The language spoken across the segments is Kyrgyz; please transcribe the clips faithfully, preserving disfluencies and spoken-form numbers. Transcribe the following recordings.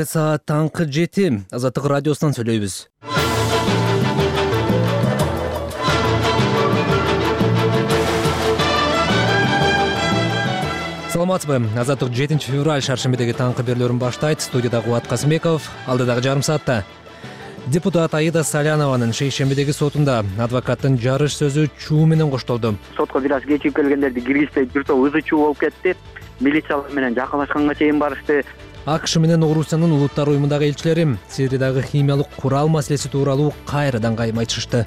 Саат таңкы жети. Азаттык радиосунан сүйлөйбүз. Саламатсызбы? Азаттык жетинчи февраль шаршембидеги таңкы берүүлөрүн баштайт. Студияда Кубат Касымбеков. Алдыдагы жарым саатта депутат Аида Салянованын шейшембидеги сотунда адвокаттын жарыш сөзү чуу менен коштолду. Сотко бир аз кечигип келгендерди киргизбей бир топ ызы чуу болуп кетти. Милициялар менен жакынлашканга чейин барышты. АКШ менен Орусиянын улуттар уюмундагы элчилери Сириядагы химиялык курал маселеси тууралуу кайрадан кайым айтышты.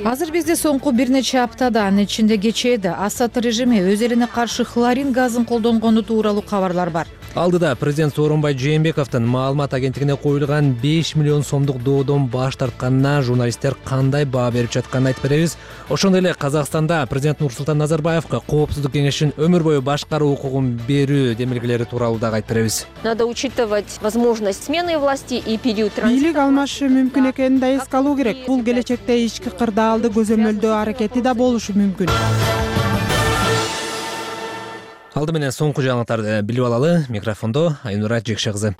Азыр бизде соңку бир нече аптада, анын ичинде кечээде Асад режими өз элине каршы хлорин газын колдонгону тууралуу кабарлар бар. Алдыда президент Сооронбай Жээнбековдун маалымат агенттигине коюлган беш миллион сомдук доодон баш тартканына журналисттер кандай баа берип жатканын айтып беребиз. Ошондой эле Казакстанда президент Нурсултан Назарбаевга Коопсуздук кеңешинин өмүр бою башкаруу укугун берүү демилгелери тууралуу дагы айтып беребиз. Надо учитывать возможность смены власти и период транзита. Бийлик алмашы мүмкүн экенин да эске алуу керек. Бул келечекте ички кырдаалды көзөмөлдөө аракети да болушу мүмкүн. Алды менен соңку жаңылыктарды билип алалы. Микрофондо Айнура Жекше кызы.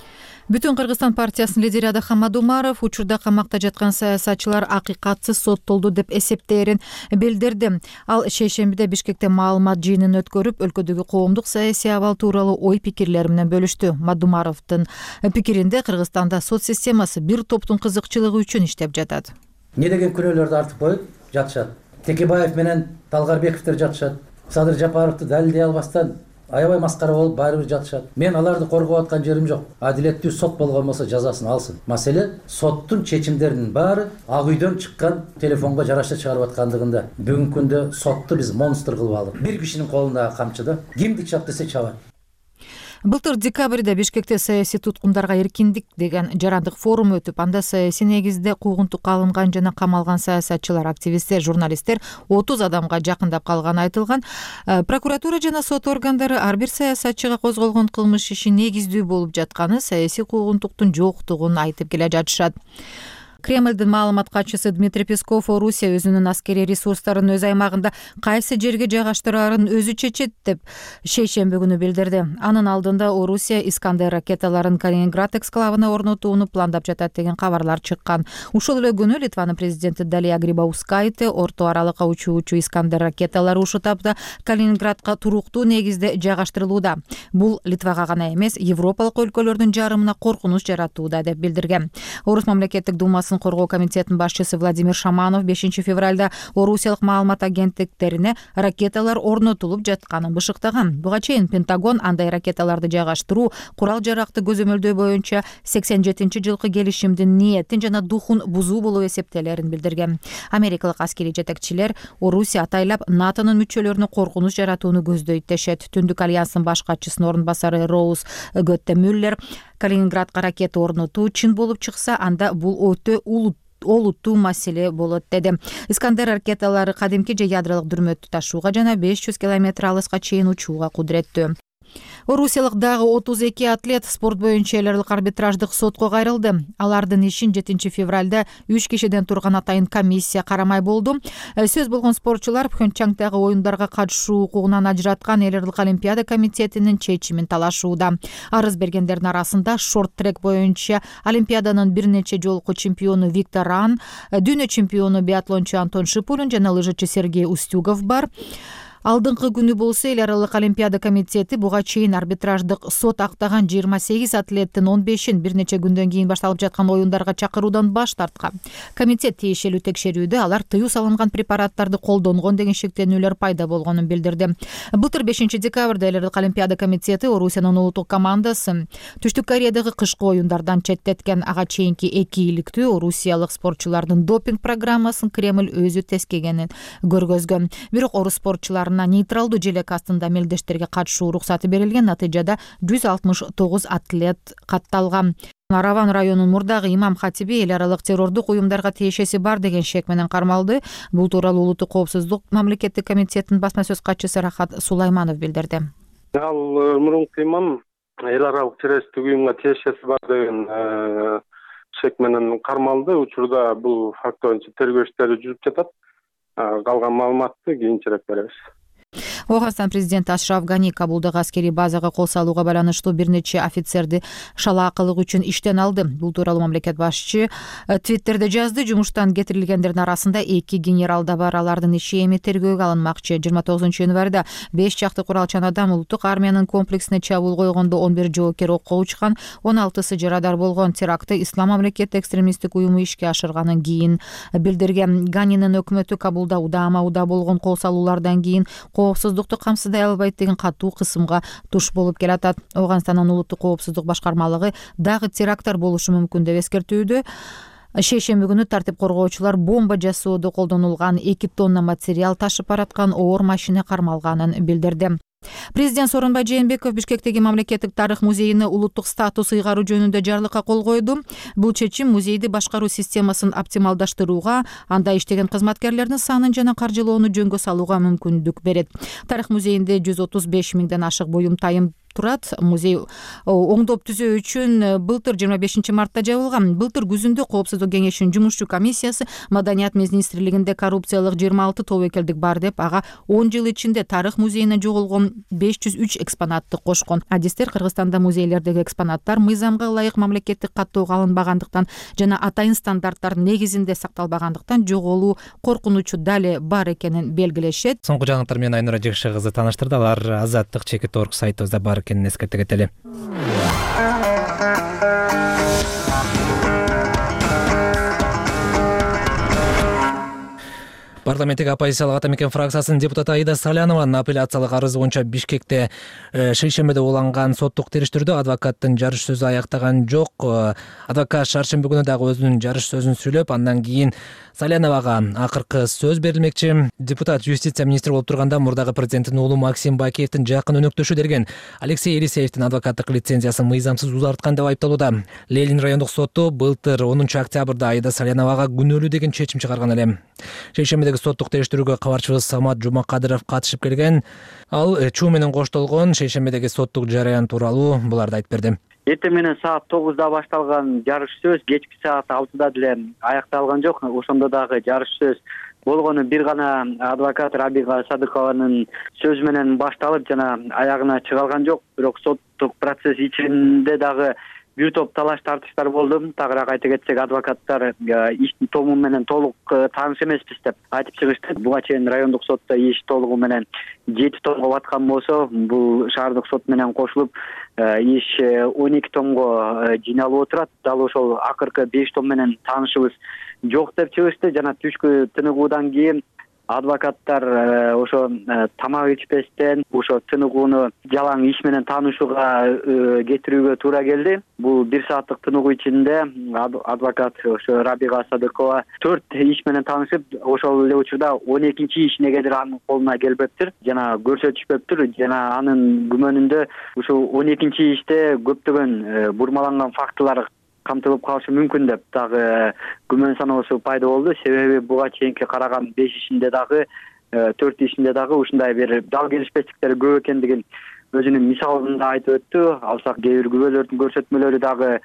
Бүтүн Кыргызстан партиясынын лидери Адахамад Умаров учурда камакта жаткан саясатчылар акыйкатсыз соттолду деп эсептээрин билдирди. Ал шейшембиде Бишкекте маалымат жыйынын өткөрүп, өлкөдөгү коомдук саясий абал тууралуу ой пикирлери менен бөлүштү. Мадумаровдун пикиринде Кыргызстанда сот системасы бир топтун кызыкчылыгы үчүн иштеп жатат. Не деген күнөөлөрдү артып коюп жатышат. Текебаев менен Талгарбековдер жатышат. Садыр Жапаровду далилдей албастан аябай маскара болуп баары бир жатышат. Мен аларды коргоп аткан жерим жок. Адилеттүү сот болгон болсо жазасын алсын. Маселе соттун чечимдеринин баары Ак үйдөн чыккан телефонго жараша чыгарып аткандыгында. Бүгүнкү күндө сотту биз монстр кылып алдык. Бир кишинин колундагы камчы да кимди чап десе чабат. Былтыр декабрда Бишкекте саясий туткундарга эркиндик деген жарандык форум өтүп, анда саясий негизде куугунтукка алынган жана камалган саясатчылар, активисттер, журналисттер отуз адамга жакындап калганы айтылган. Прокуратура жана сот органдары ар бир саясатчыга козголгон кылмыш иши негиздүү болуп жатканы, саясий куугунтуктун жоктугун айтып келе жатышат. Кремлдин маалымат катчысы Дмитрий Песков Орусия өзүнүн аскерий ресурстарын өз аймагында кайсы жерге жайгаштыраарын өзү чечет деп шейшемби күнү билдирди. Анын алдында Орусия Искандер ракеталарын Калининград эксклавына орнотууну пландап жатат деген кабарлар чыккан. Ушул эле күнү Литванын президенти Далия Грибаускайте орто аралыкка учуучу Искандер ракеталары ушул тапта Калининградка туруктуу негизде жайгаштырылууда. Бул Литвага гана эмес, Европалык өлкөлөрдүн жарымына коркунуч жаратууда деп билдирген. Орус мамлекеттик думасы коргоо комитетинин башчысы Владимир Шаманов бешинчи февралда Орусиялык маалымат агенттиктерине ракеталар орнотулуп жатканын бышыктаган. Буга чейин Пентагон андай ракеталарды жайгаштыруу курал-жаракты көзөмөлдөө боюнча сексен жетинчи жылкы келишимдин ниетин жана духун бузуу болуп эсептелерин билдирген. Америкалык аскерий жетекчилер Орусия атайлап НАТОнун мүчөлөрүнө коркунуч жаратууну көздөйт дешет. Түндүк альянстын баш катчысынын орун басары Роуз Готте Мюллер Калининградка ракета орнотуу чын болуп чыкса, анда бул өтө олуттуу маселе болот деди. Искандер ракеталары кадимки же ядролук дүрмөттү ташууга жана беш жүз километр алыска чейин учууга кудуреттүү. Орусиялык дагы отуз эки атлет спорт боюнча эл аралык арбитраждык сотко кайрылды. Алардын ишин жетинчи февралда үч кишиден турган атайын комиссия карамай болду. Сөз болгон спортчулар Пхенчхангдагы оюндарга катышуу укугунан ажыраткан эл аралык олимпиада комитетинин чечимин талашууда. Арыз бергендердин арасында шорт-трек боюнча олимпиаданын бир нече жолку чемпиону Виктор Ран, дүйнө чемпиону биатлончу Антон Шипулин жана лыжычы Сергей Устюгов бар. Алдыңкы күнү болсо эл аралык олимпиада комитети буга чейин арбитраждык сот актаган жыйырма сегиз атлеттин он бешин бир нече күндөн кийин башталып жаткан оюндарга чакыруудан баш тарткан. Комитет тиешелүү текшерүүдө алар тыюу салынган препараттарды колдонгон деген шектенүүлөр пайда болгонун билдирди. Былтыр бешинчи декабрда эл аралык олимпиада комитети Орусиянын улуттук командасын Түштүк Кореядагы кышкы оюндардан четтеткен. Ага чейинки эки иликтүү орусиялык спортчулардын допинг программасын Кремль өзү тескегенин көргөзгөн. Бирок орус спортчулары нейтралдуу желек астында мелдештерге катышуу уруксаты берилген. Натыйжада жүз алтымыш тогуз атлет катталган. Нараван районунун мурдагы имам хатиби эл аралык террордук уюмдарга тиешеси бар деген шек менен кармалды. Бул тууралуу улуттук коопсуздук мамлекеттик комитетинин басма сөз катчысы Рахат Сулайманов билдирди. Ал мурунку имам эл аралык террористтик уюмга тиешеси бар деген шек менен кармалды. Учурда бул факт боюнча тергөө иштери жүрүп жатат. Калган маалыматты кийинчерээк беребиз. Ооганстан президенти Ашраф Гани Кабулдагы аскерий базага кол салууга байланыштуу бир нече офицерди шалаакылык үчүн иштен алды. Бул тууралуу мамлекет башчы Твиттерде жазды. Жумуштан кетирилгендердин арасында эки генерал да бар. Алардын иши эми тергөөгө алынмакчы. жыйырма тогузунчу январда беш чакты куралчан адам улуттук армиянын комплексине чабуул койгондо он бир жоокер окко учкан, он алтысы жарадар болгон. Терактты Ислам мамлекети экстремисттик уюму ишке ашырганын кийин билдирген. Ганинин өкмөтү Кабулда удаама уда болгон кол салуулардан кийин коопсуздукту камсыздай албайт деген катуу кысымга туш болуп келатат. Ооганстандын улуттук коопсуздук башкармалыгы дагы теракттар болушу мүмкүн деп эскертүүдө. Шейшемби күнү тартип коргоочулар бомба жасоодо колдонулган эки тонна материал ташып бараткан оор машина кармалганын билдирди. Президент Сооронбай Жээнбеков Бишкектеги мамлекеттик тарых музейине улуттук статус ыйгаруу жөнүндө жарлыкка кол койду. Бул чечим музейди башкаруу системасын оптималдаштырууга, анда иштеген кызматкерлердин санын жана каржылоону жөнгө салууга мүмкүндүк берет. Тарых музейинде жүз отуз беш миңден ашык буюм тайым турат. Музей оңдоп түзөө үчүн былтыр жыйырма бешинчи мартта жабылган. Былтыр күзүндө Коопсуздук кеңешинин жумушчу комиссиясы Маданият министрлигинде коррупциялык жыйырма алты тобокелдик бар деп, ага он жыл ичинде тарых музейине жоголгон беш жүз үч экспонатты кошкон. Адистер Кыргызстанда музейлердеги экспонаттар мыйзамга ылайык мамлекеттик каттоого алынбагандыктан жана атайын стандарттар негизинде сакталбагандыктан жоголуу коркунучу дале бар экенин белгилешет. Соңку жаңылыктар менен Айнура Жекше кызы тааныштырды. Алар Азаттык чекит орг сайтыбызда бар экенин эскерте кетели. Парламенттик оппозициялык ата мекен фракциясынын депутаты Аида Салянованын апелляциялык арызы боюнча Бишкекте шейшембиде уланган соттук териштирүүдө адвокаттын жарыш сөзү аяктаган жок. Адвокат шаршемби күнү дагы өзүнүн жарыш сөзүн сүйлөп, андан кийин Саляновага акыркы сөз берилмекчи. Депутат юстиция министри болуп турганда мурдагы президенттин уулу Максим Бакиевдин жакын өнөктөшү деген Алексей Елисеевдин адвокаттык лицензиясын мыйзамсыз узарткан деп айыпталууда. Ленин райондук соту былтыр онунчу октябрда Аида Саляновага күнөөлүү деген чечим чыгарган эле. Шейшембидеги соттук териштирүүгө кабарчыбыз Самат Жумакадыров катышып келген. Ал чуу менен коштолгон шейшембидеги соттук жараян тууралуу буларды айтып берди. Эртең менен саат тогузда башталган жарыш сөз кечки саат алтыда деле аякталган жок. Ошондо дагы жарыш сөз болгону бир гана адвокат Рабига Садыкованын сөзү менен башталып жана аягына чыга алган жок. Бирок соттук процесс ичинде дагы бир топ талаш тартыштар болду. Тагыраак айта кетсек, адвокаттар иштин тому менен толук тааныш эмеспиз деп айтып чыгышты. Буга чейин райондук сотто иш толугу менен жети томго баткан болсо, бул шаардык сот менен кошулуп иш он эки томго жыйналып отурат. Дал ошол акыркы беш том менен таанышыбыз жок деп чыгышты. Жана түшкү тыныгуудан кийин адвокаттар ошо тамак ичпестен ошо тыныгууну жалаң иш менен таанышууга кетирүүгө туура келди. Бул бир сааттык тыныгуу ичинде адвокат ошо Рабига Садыкова төрт иш менен таанышып, ошол эле учурда он экинчи иш негедир анын колуна келбептир жана көрсөтүшпөптүр. Жана анын күмөнүндө ушул он экинчи иште көптөгөн бурмаланган фактылар камтылып калышы мүмкүн деп дагы күмөн саноосу пайда болду. Себеби буга чейинки караган беш ишинде дагы төрт ишинде дагы ушундай бир дал келишпестиктер көп экендигин өзүнүн мисалында айтып өттү. Алсак кээ бир күбөлөрдүн көрсөтмөлөрү дагы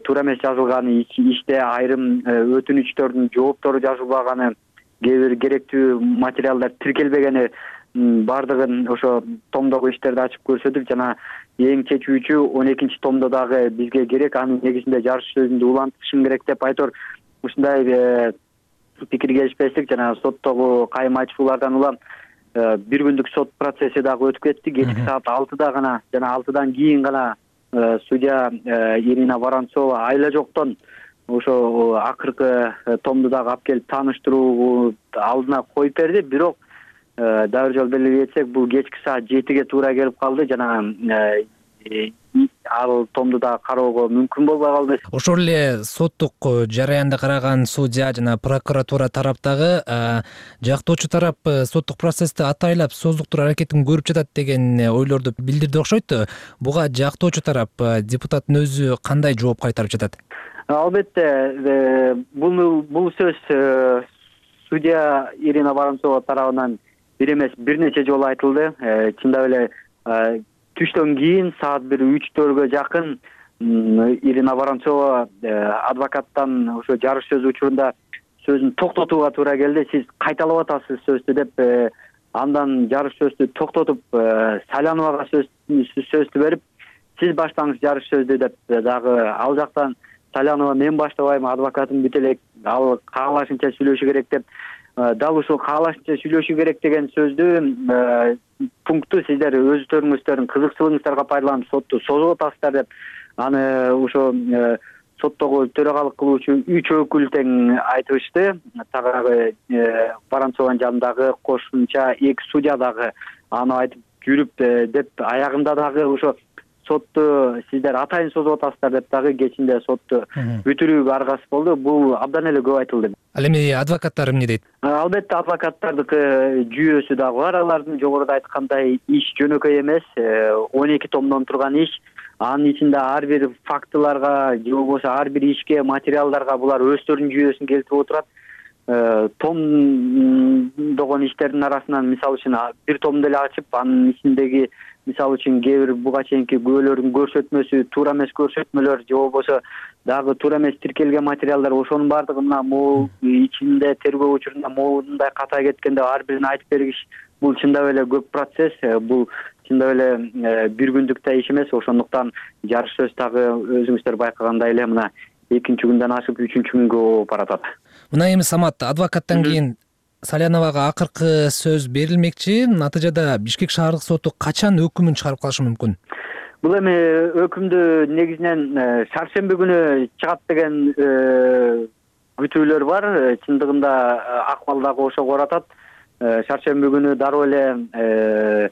туура эмес жазылганы, иште айрым өтүнүчтөрдүн жооптору жазылбаганы, кээ бир керектүү материалдар тиркелбегени бардыгын ошо томдогу иштерди ачып көрсөтүп, жана эң чечүүчү он экинчи томдо дагы бизге керек, анын негизинде жарыш сөзүндү улантышым керек деп айтор. Ушундай пикир келишпестик жана соттогу кайым айтышуулардан улам бир күндүк сот процесси дагы өтүп кетти. Кечки саат алтыда гана жана алтыдан кийин гана судья Ирина Воронцова айла жоктон ошо акыркы томду дагы алып келип тааныштыруу алдына коюп берди. Бирок дагы жол белгилей кетсек, бул кечки саат жетиге туура келип калды жана ал томду да кароого мүмкүн болбой калды. Ошол эле соттук жараянды караган судья жана прокуратура тараптагы жактоочу тарап соттук процессти атайлап создуктуруу аракетин көрүп жатат деген ойлорду билдирди окшойт. Буга жактоочу тарап, депутаттын өзү кандай жооп кайтарып жатат? Албетте, бул бул сөз судья Ирина Воронцова тарабынан бир эмес бир нече жолу айтылды. Чындап эле түштөн кийин саат бир үч төрткө жакын Ирина Воронцова адвокаттан ошо жарыш сөзү учурунда сөзүн токтотууга туура келди. Сиз кайталап атасыз сөздү деп андан жарыш сөздү токтотуп Саляновага сөздү берип, сиз баштаңыз жарыш сөздү деп дагы ал жактан Салянова мен баштабайм, адвокатым бүт элек, ал каалашынча сүйлөшү керек деп, дал ушул каалашынча сүйлөшү керек деген сөздү пункту сиздер өздөрүңүздөрдүн кызыкчылыгыңыздарга пайдаланып сотту созуп атасыздар деп, аны ошо соттогу төрагалык кылуучу үч өкүл тең айтышты. Тагы Воронцованын жанындагы кошумча эки судья дагы аны айтып жүрүп деп, аягында дагы ошо сотту сиздер атайын созуп атасыздар деп дагы кечинде сотту бүтүрүүгө аргасыз болду. Бул абдан эле көп айтылды. Ал эми адвокаттар эмне дейт? Албетте адвокаттардыкы жүйөсү дагы бар. Алардын жогоруда айткандай иш жөнөкөй эмес, он эки томдон турган иш. Анын ичинде ар бир фактыларга же болбосо ар бир ишке, материалдарга булар өздөрүнүн жүйөсүн келтирип отурат. Томдогон иштердин арасынан мисалы үчүн бир томду эле ачып, анын ичиндеги мисалы үчүн кээ бир буга чейинки күбөлөрдүн көрсөтмөсү, туура эмес көрсөтмөлөр же болбосо дагы туура эмес тиркелген материалдар, ошонун баардыгы мына могул ичинде тергөө учурунда моундай ката кеткен деп ар бирин айтып бергиш, бул чындап эле көп процесс, бул чындап эле бир күндүк да иш эмес. Ошондуктан жарыш сөз дагы өзүңүздөр байкагандай эле мына экинчи күндөн ашып үчүнчү күнгө болуп баратат. Мына эми Самат, адвокаттан кийин Саляновага акыркы сөз берилмекчи. Натыйжада Бишкек шаардык соту качан өкүмүн чыгарып калышы мүмкүн? Бул эми өкүмдү негизинен шаршемби күнү чыгат деген күтүүлөр бар. Чындыгында акмал дагы ошого оратат. Шаршемби күнү дароо эле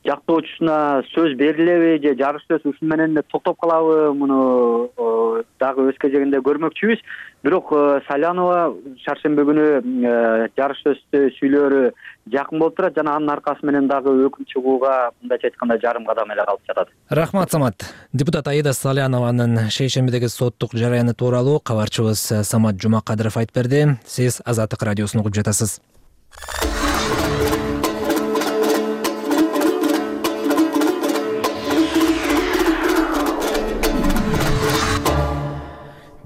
жактоочусуна сөз берилеби же жарыш сөз ушун менен эле токтоп калабы, муну дагы өз кезегинде көрмөкчүбүз. Бирок Салянова шаршемби күнү жарыш сөздү сүйлөөрү жакын болуп турат жана анын аркасы менен дагы өкүм чыгууга мындайча айтканда жарым кадам эле калып жатат. Рахмат, Самат. Депутат Аида Салянованын шейшембидеги соттук жараяны тууралуу кабарчыбыз Самат Жумакадыров айтып берди. Сиз Азаттык радиосун угуп жатасыз.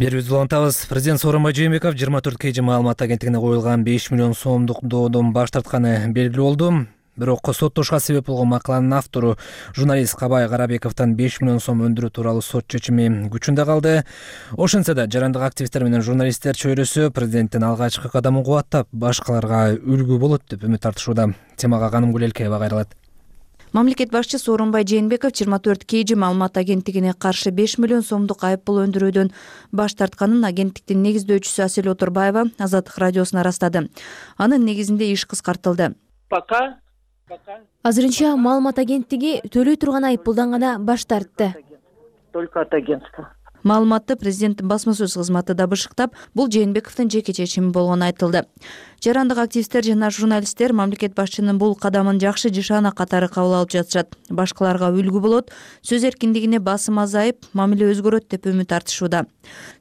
Берүүбүздү улантабыз. Президент Сооронбай Жээнбеков жыйырма төрт кей жи маалымат агенттигине коюлган беш миллион сомдук доодон баш тартканы белгилүү болду. Бирок соттошуга себеп болгон макаланын автору журналист Кабай Карабековдон беш миллион сом өндүрүү тууралуу сот чечими күчүндө калды. Ошентсе да жарандык активисттер менен журналисттер чөйрөсү президенттин алгачкы кадамын кубаттап, башкаларга үлгү болот деп үмүт артышууда. Темага Каным Гүлелкеева кайрылат. Мамлекет башчы Сооронбай Жээнбеков жыйырма төрт кей жи маалымат агенттигине каршы беш миллион сомдук айып пул өндүрүүдөн баш тартканын агенттиктин негиздөөчүсү Асель Отурбаева Азаттык радиосуна ырастады. Анын негизинде иш кыскартылды. Пока азырынча маалымат агенттиги төлөй турган айып пулдан гана баш тартты. Только от агентства. Маалыматты президенттин басма сөз кызматы да бышыктап, бул Жээнбековдун жеке чечими болгону айтылды. Жарандык активисттер жана журналисттер мамлекет башчынын бул кадамын жакшы жышаана катары кабыл алып жатышат. Башкаларга үлгү болот, сөз эркиндигине басым азайып, мамиле өзгөрөт деп үмүт артышууда.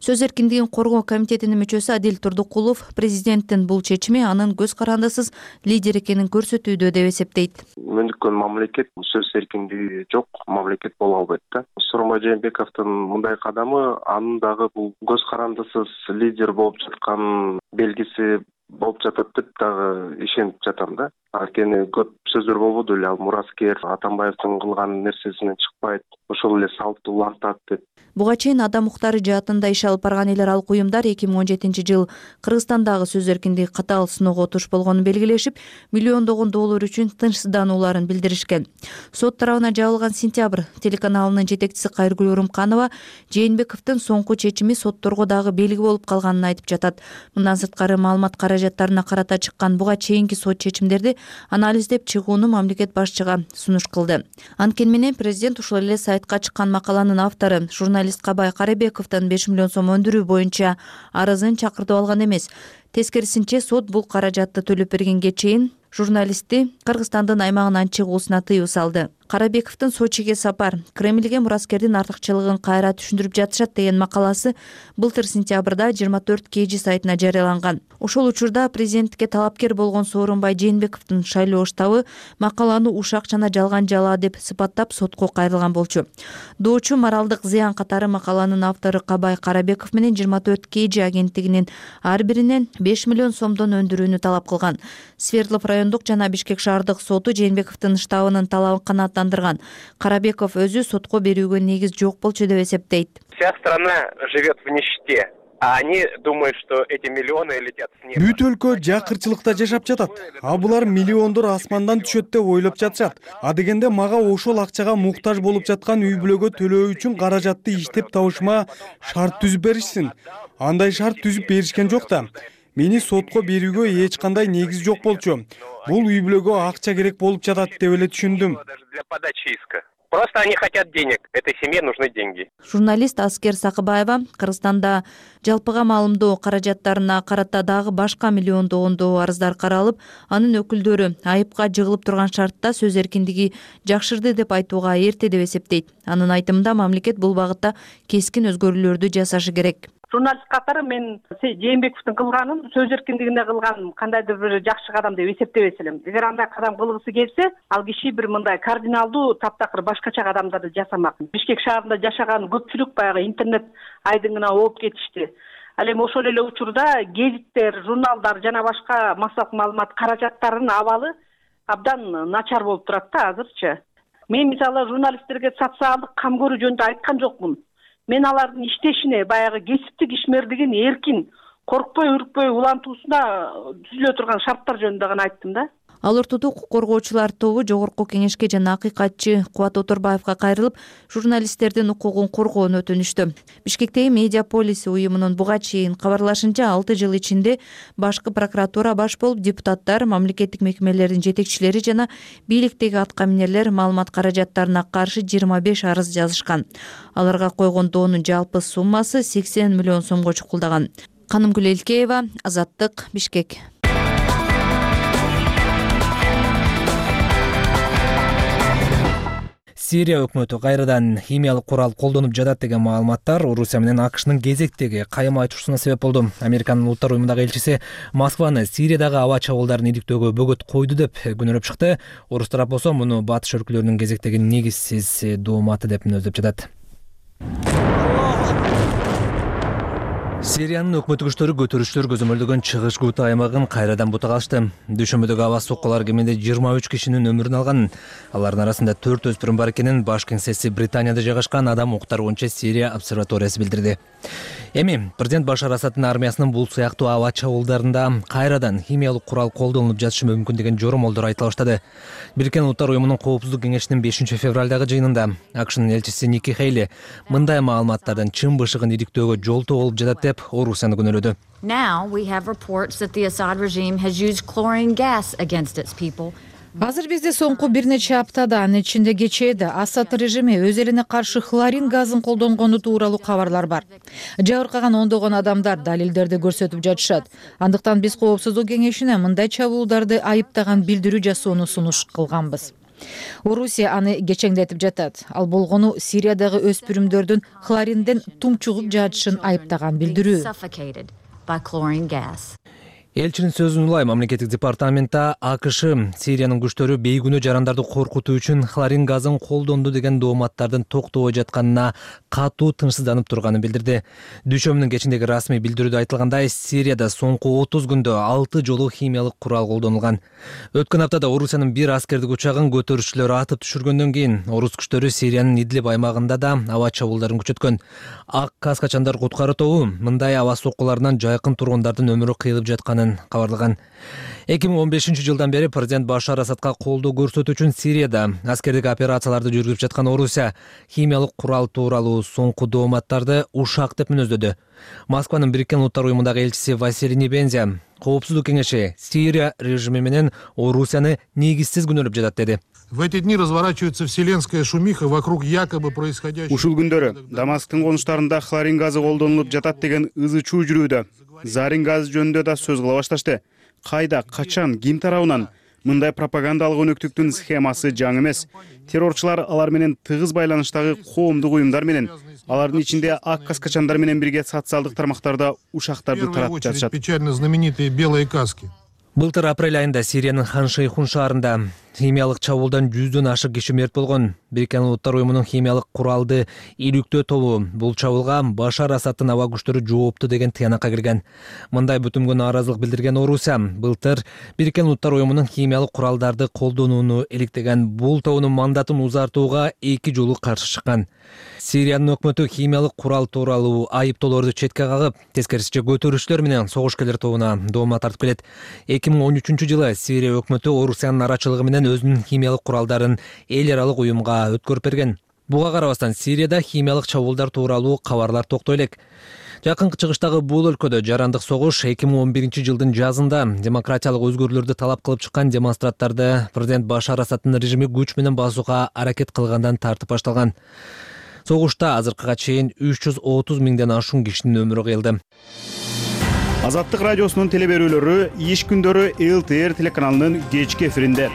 Сөз эркиндигин коргоо комитетинин мүчөсү Адил Турдукулов президенттин бул чечими анын көз карандысыз лидер экенин көрсөтүүдө деп эсептейт. Мөндүккөн мамлекет сөз эркиндиги жок мамлекет боло албайт да. Сооронбай Жээнбековдун мындай кадамы анын дагы бул көз карандысыз лидер болуп жаткан белгиси болуп жатат деп дагы ишенип жатам да. Анткени көп сөздөр болбоду эле, ал мураскер Атамбаевдин кылган нерсесинен чыкпайт, ошол эле салтты улантат деп. Буга чейин адам укуктары жаатында иш алып барган эл аралык уюмдар эки миң он жетинчи жыл Кыргызстандагы сөз эркиндиги катаал сыноого туш болгонун белгилешип, миллиондогон доолор үчүн тынчсызданууларын билдиришкен. Сот тарабына жабылган Сентябрь телеканалынын жетекчиси Кайыргүл Урумканова Жээнбековдун соңку чечими сотторго дагы белги болуп калганын айтып жатат. Мындан сырткары маалымат каражаттарына карата чыккан буга чейинки сот чечимдерди анализдеп чыгууну мамлекет башчыга сунуш кылды. Анткени менен президент ушул эле сайтка чыккан макаланын автору журналист Кабай Карабековдон беш миллион сом өндүрүү боюнча арызын чакыртып алган эмес. Тескерисинче сот бул каражатты төлөп бергенге чейин журналистти Кыргызстандын аймагынан чыгуусуна тыюу салды. Карабековдун Сочиге сапар Кремльге мураскердин артыкчылыгын кайра түшүндүрүп жатышат деген макаласы былтыр сентябрда жыйырма төрт кж сайтына жарыяланган. Ошол учурда президенттикке талапкер болгон Сооронбай Жээнбековдун шайлоо штабы макаланы ушак жана жалган жалаа деп сыпаттап сотко кайрылган болчу. Доочу моралдык зыян катары макаланын автору Кабай Карабеков менен жыйырма төрт кж агенттигинин ар биринен беш миллион сомдон өндүрүүнү талап кылган. Свердлов райондук жана Бишкек шаардык соту Жээнбековдун штабынын талабын канааттандырган. Карабеков өзү сотко берүүгө негиз жок болчу деп эсептейт. Вся страна живет в нищете. А они думают, что эти миллионы летят с неба. Бүт өлкө жакырчылыкта жашап жатат. А булар миллиондор асмандан түшөт деп ойлоп жатышат. А дегенде мага ошол акчага муктаж болуп жаткан үй бүлөгө төлөө үчүн каражатты иштеп табышыма шарт түзүп беришсин. Андай шарт түзүп беришкен жок да. Мени сотко берүүгө эч кандай негиз жок болчу. Бул үй бүлөгө акча керек болуп жатат деп эле түшүндүм. Для подачи иска. Просто они хотят денег. Этой семье нужны деньги. Журналист Аскер Сакыбаева Кыргызстанда жалпыга маалымдоо каражаттарына карата дагы башка миллиондогондоо арыздар каралып, анын өкүлдөрү айыпка жыгылып турган шартта сөз эркиндиги жакшырды деп айтууга эрте деп эсептейт. Анын айтымында мамлекет бул багытта кескин өзгөрүүлөрдү жасашы керек. Журналист катары мен Жээнбековдун кылганын сөз эркиндигине кылган кандайдыр бир жакшы кадам деп эсептебес элем. Эгер андай кадам кылгысы келсе, ал киши бир мындай кардиналдуу таптакыр башкача кадамдарды жасамак. Бишкек шаарында жашаган көпчүлүк баягы интернет айдыңына ооп кетишти. Ал эми ошол эле учурда гезиттер, журналдар жана башка массалык маалымат каражаттарынын абалы абдан начар болуп турат да азырчы. Мен мисалы журналисттерге социалдык кам көрүү жөнүндө айткан жокмун. Мен алардын иштешине, баягы кесиптик ишмердигин эркин, коркпой, үркпөй улантуусуна түзүлө турган шарттар жөнүндө гана айттым да. Ал ортодо укук коргоочулар тобу Жогорку Кеңешке жана акыйкатчы Кубат Оторбаевга кайрылып, журналисттердин укугун коргоону өтүнүштү. Бишкектеги Медиаполис уюмунун буга чейин кабарлашынча алты жыл ичинде башкы прокуратура баш болуп депутаттар, мамлекеттик мекемелердин жетекчилери жана бийликтеги аткаминерлер маалымат каражаттарына каршы жыйырма беш арыз жазышкан. Аларга койгон доонун жалпы суммасы сексен миллион сомго чукулдаган. Канымгүл Элкеева, Азаттык, Бишкек. Сирия өкмөтү кайрадан химиялык курал колдонуп жатат деген маалыматтар Орусия менен АКШнын кезектеги кайым айтышуусуна себеп болду. Американын улуттар уюмундагы элчиси Москваны Сириядагы аба чабуулдарын иликтөөгө бөгөт койду деп күнөөлөп чыкты. Орус тарап болсо муну батыш өлкөлөрүнүн кезектеги негизсиз дооматы деп мүнөздөп жатат. Сириянын өкмөттүк күчтөрү көтөрүшчүлөр көзөмөлдөгөн чыгыш Гута аймагын кайрадан бутага алышты. Дүйшөмбүдөгү аба соккулар кеминде жыйырма үч кишинин өмүрүн алган. Алардын арасында төрт өспүрүм бар экенин баш кеңсеси Британияда жайгашкан Адам укуктары боюнча Сирия обсерваториясы билдирди. Эми президент Башар Асаддын армиясынын бул сыяктуу аба чабуулдарында кайрадан химиялык курал колдонулуп жатышы мүмкүн деген жоромолдор айтыла баштады. Бириккен Улуттар уюмунун коопсуздук кеңешинин бешинчи февралдагы жыйынында АКШнын элчиси Ники Хейли мындай маалыматтардын чын бышыгын иликтөөгө жолтоо болуп жатат деп Орусияны күнөөлөдү. Now we have reports that the Assad regime has used chlorine gas against its people. Азыр бизде соңку бир нече аптада, анын ичинде кечээде Асад режими өз элине каршы хлорин газын колдонгону тууралуу кабарлар бар. Жабыркаган ондогон адамдар далилдерди көрсөтүп жатышат. Андыктан биз Коопсуздук кеңешине мындай чабуулдарды айыптаган билдирүү жасоону сунуш кылганбыз. Орусия аны кечеңдетип жатат. Ал болгону Сириядагы өспүрүмдөрдүн хлоринден тумчугуп жатышын айыптаган билдирүү. Элчинин сөзүн улай мамлекеттик департаментта АКШ Сириянын күчтөрү бейгүнөө жарандарды коркутуу үчүн хлорин газын колдонду деген дооматтардын токтобой жатканына катуу тынчсызданып турганын билдирди. Дүйшөмбүнүн кечиндеги расмий билдирүүдө айтылгандай, Сирияда соңку отуз күндө алты жолу химиялык курал колдонулган. Өткөн аптада Орусиянын бир аскердик учагын көтөрүшчүлөр атып түшүргөндөн кийин орус күчтөрү Сириянын Идлиб аймагында да аба чабуулдарын күчөткөн. Ак каскачандар куткаруу тобу мындай аба соккуларынан жайкын тургундардын өмүрү кыйылып жатканын кабарлаган. эки миң он бешинчи жылдан бери президент Башар Асадка колдоо көрсөтүү үчүн Сирияда аскердик операцияларды жүргүзүп жаткан Орусия химиялык курал тууралуу соңку дооматтарды ушак деп мүнөздөдү. Москванын Бириккен Улуттар уюмундагы элчиси Василий Небензя Коопсуздук кеңеши Сирия режими менен Орусияны негизсиз күнөөлөп жатат деди. В эти дни разворачивается вселенская шумиха вокруг якобы происходящего. Ушул күндөрү Дамасктын конуштарында хлорин газы колдонулуп жатат деген ызы чуу жүрүүдө. Зарин газы жөнүндө да сөз кыла башташты. Кайда, качан, ким тарабынан мындай пропагандалык өнөктүктүн схемасы жаңы эмес. Террорчулар алар менен тыгыз байланыштагы коомдук уюмдар менен, алардын ичинде ак каскачандар менен бирге социалдык тармактарда ушактарды таратып жатышат. Печально знаменитые белые каски. Былтыр апрель айында Сириянын Хан-Шейхун шаарында химиялык чабуулдан жүздөн ашык киши мерт болгон. Бириккен Улуттар уюмунун химиялык куралды илүктөө тобу бул чабуулга Башар Асадтын аба күчтөрү жоопту деген тыянакка кирген. Мындай бүтүмгө нааразылык билдирген Орусия былтыр Бириккен Улуттар уюмунун химиялык куралдарды колдонууну иликтеген. Бул тобунун мандатын узартууга эки жолу каршы чыккан. Сириянын өкмөтү химиялык курал тууралуу айыптоолорду четке кагып, тескерисинче көтөрүүчүлөр менен согушкерлер тобуна доомат тартып келет. эки миң он үчүнчү жылы Сирия өкмөтү Орусиянын арачылыгы менен өзүнүн химиялык куралдарын эл аралык уюмга өткөрүп берген. Буга карабастан Сирияда химиялык чабуулдар тууралуу кабарлар токтой элек. Жакынкы чыгыштагы бул өлкөдө жарандык согуш эки миң он биринчи жылдын жазында демократиялык өзгөрүүлөрдү талап кылып чыккан демонстранттарды президент Башар Асадтын режими күч менен басууга аракет кылгандан тартып башталган. Согушта азыркыга чейин үч жүз отуз миңден ашуун кишинин өмүрү кыйылды. Азаттык радиосунун телеберүүлөрү иш күндөрү эл тэ эр телеканалынын кечки эфиринде.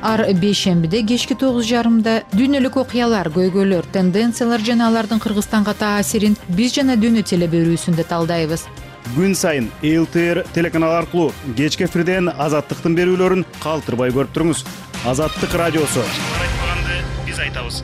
Ар бейшембиде кечки тогуз жарымда дүйнөлүк окуялар, көйгөйлөр, тенденциялар жана алардын Кыргызстанга таасирин биз жана дүйнө телеберүүсүндө талдайбыз. Күн сайын эл тэ эр телеканалы аркылуу кечки эфирден Азаттыктын берүүлөрүн калтырбай көрүп туруңуз. Азаттык радиосу. Биз айтабыз.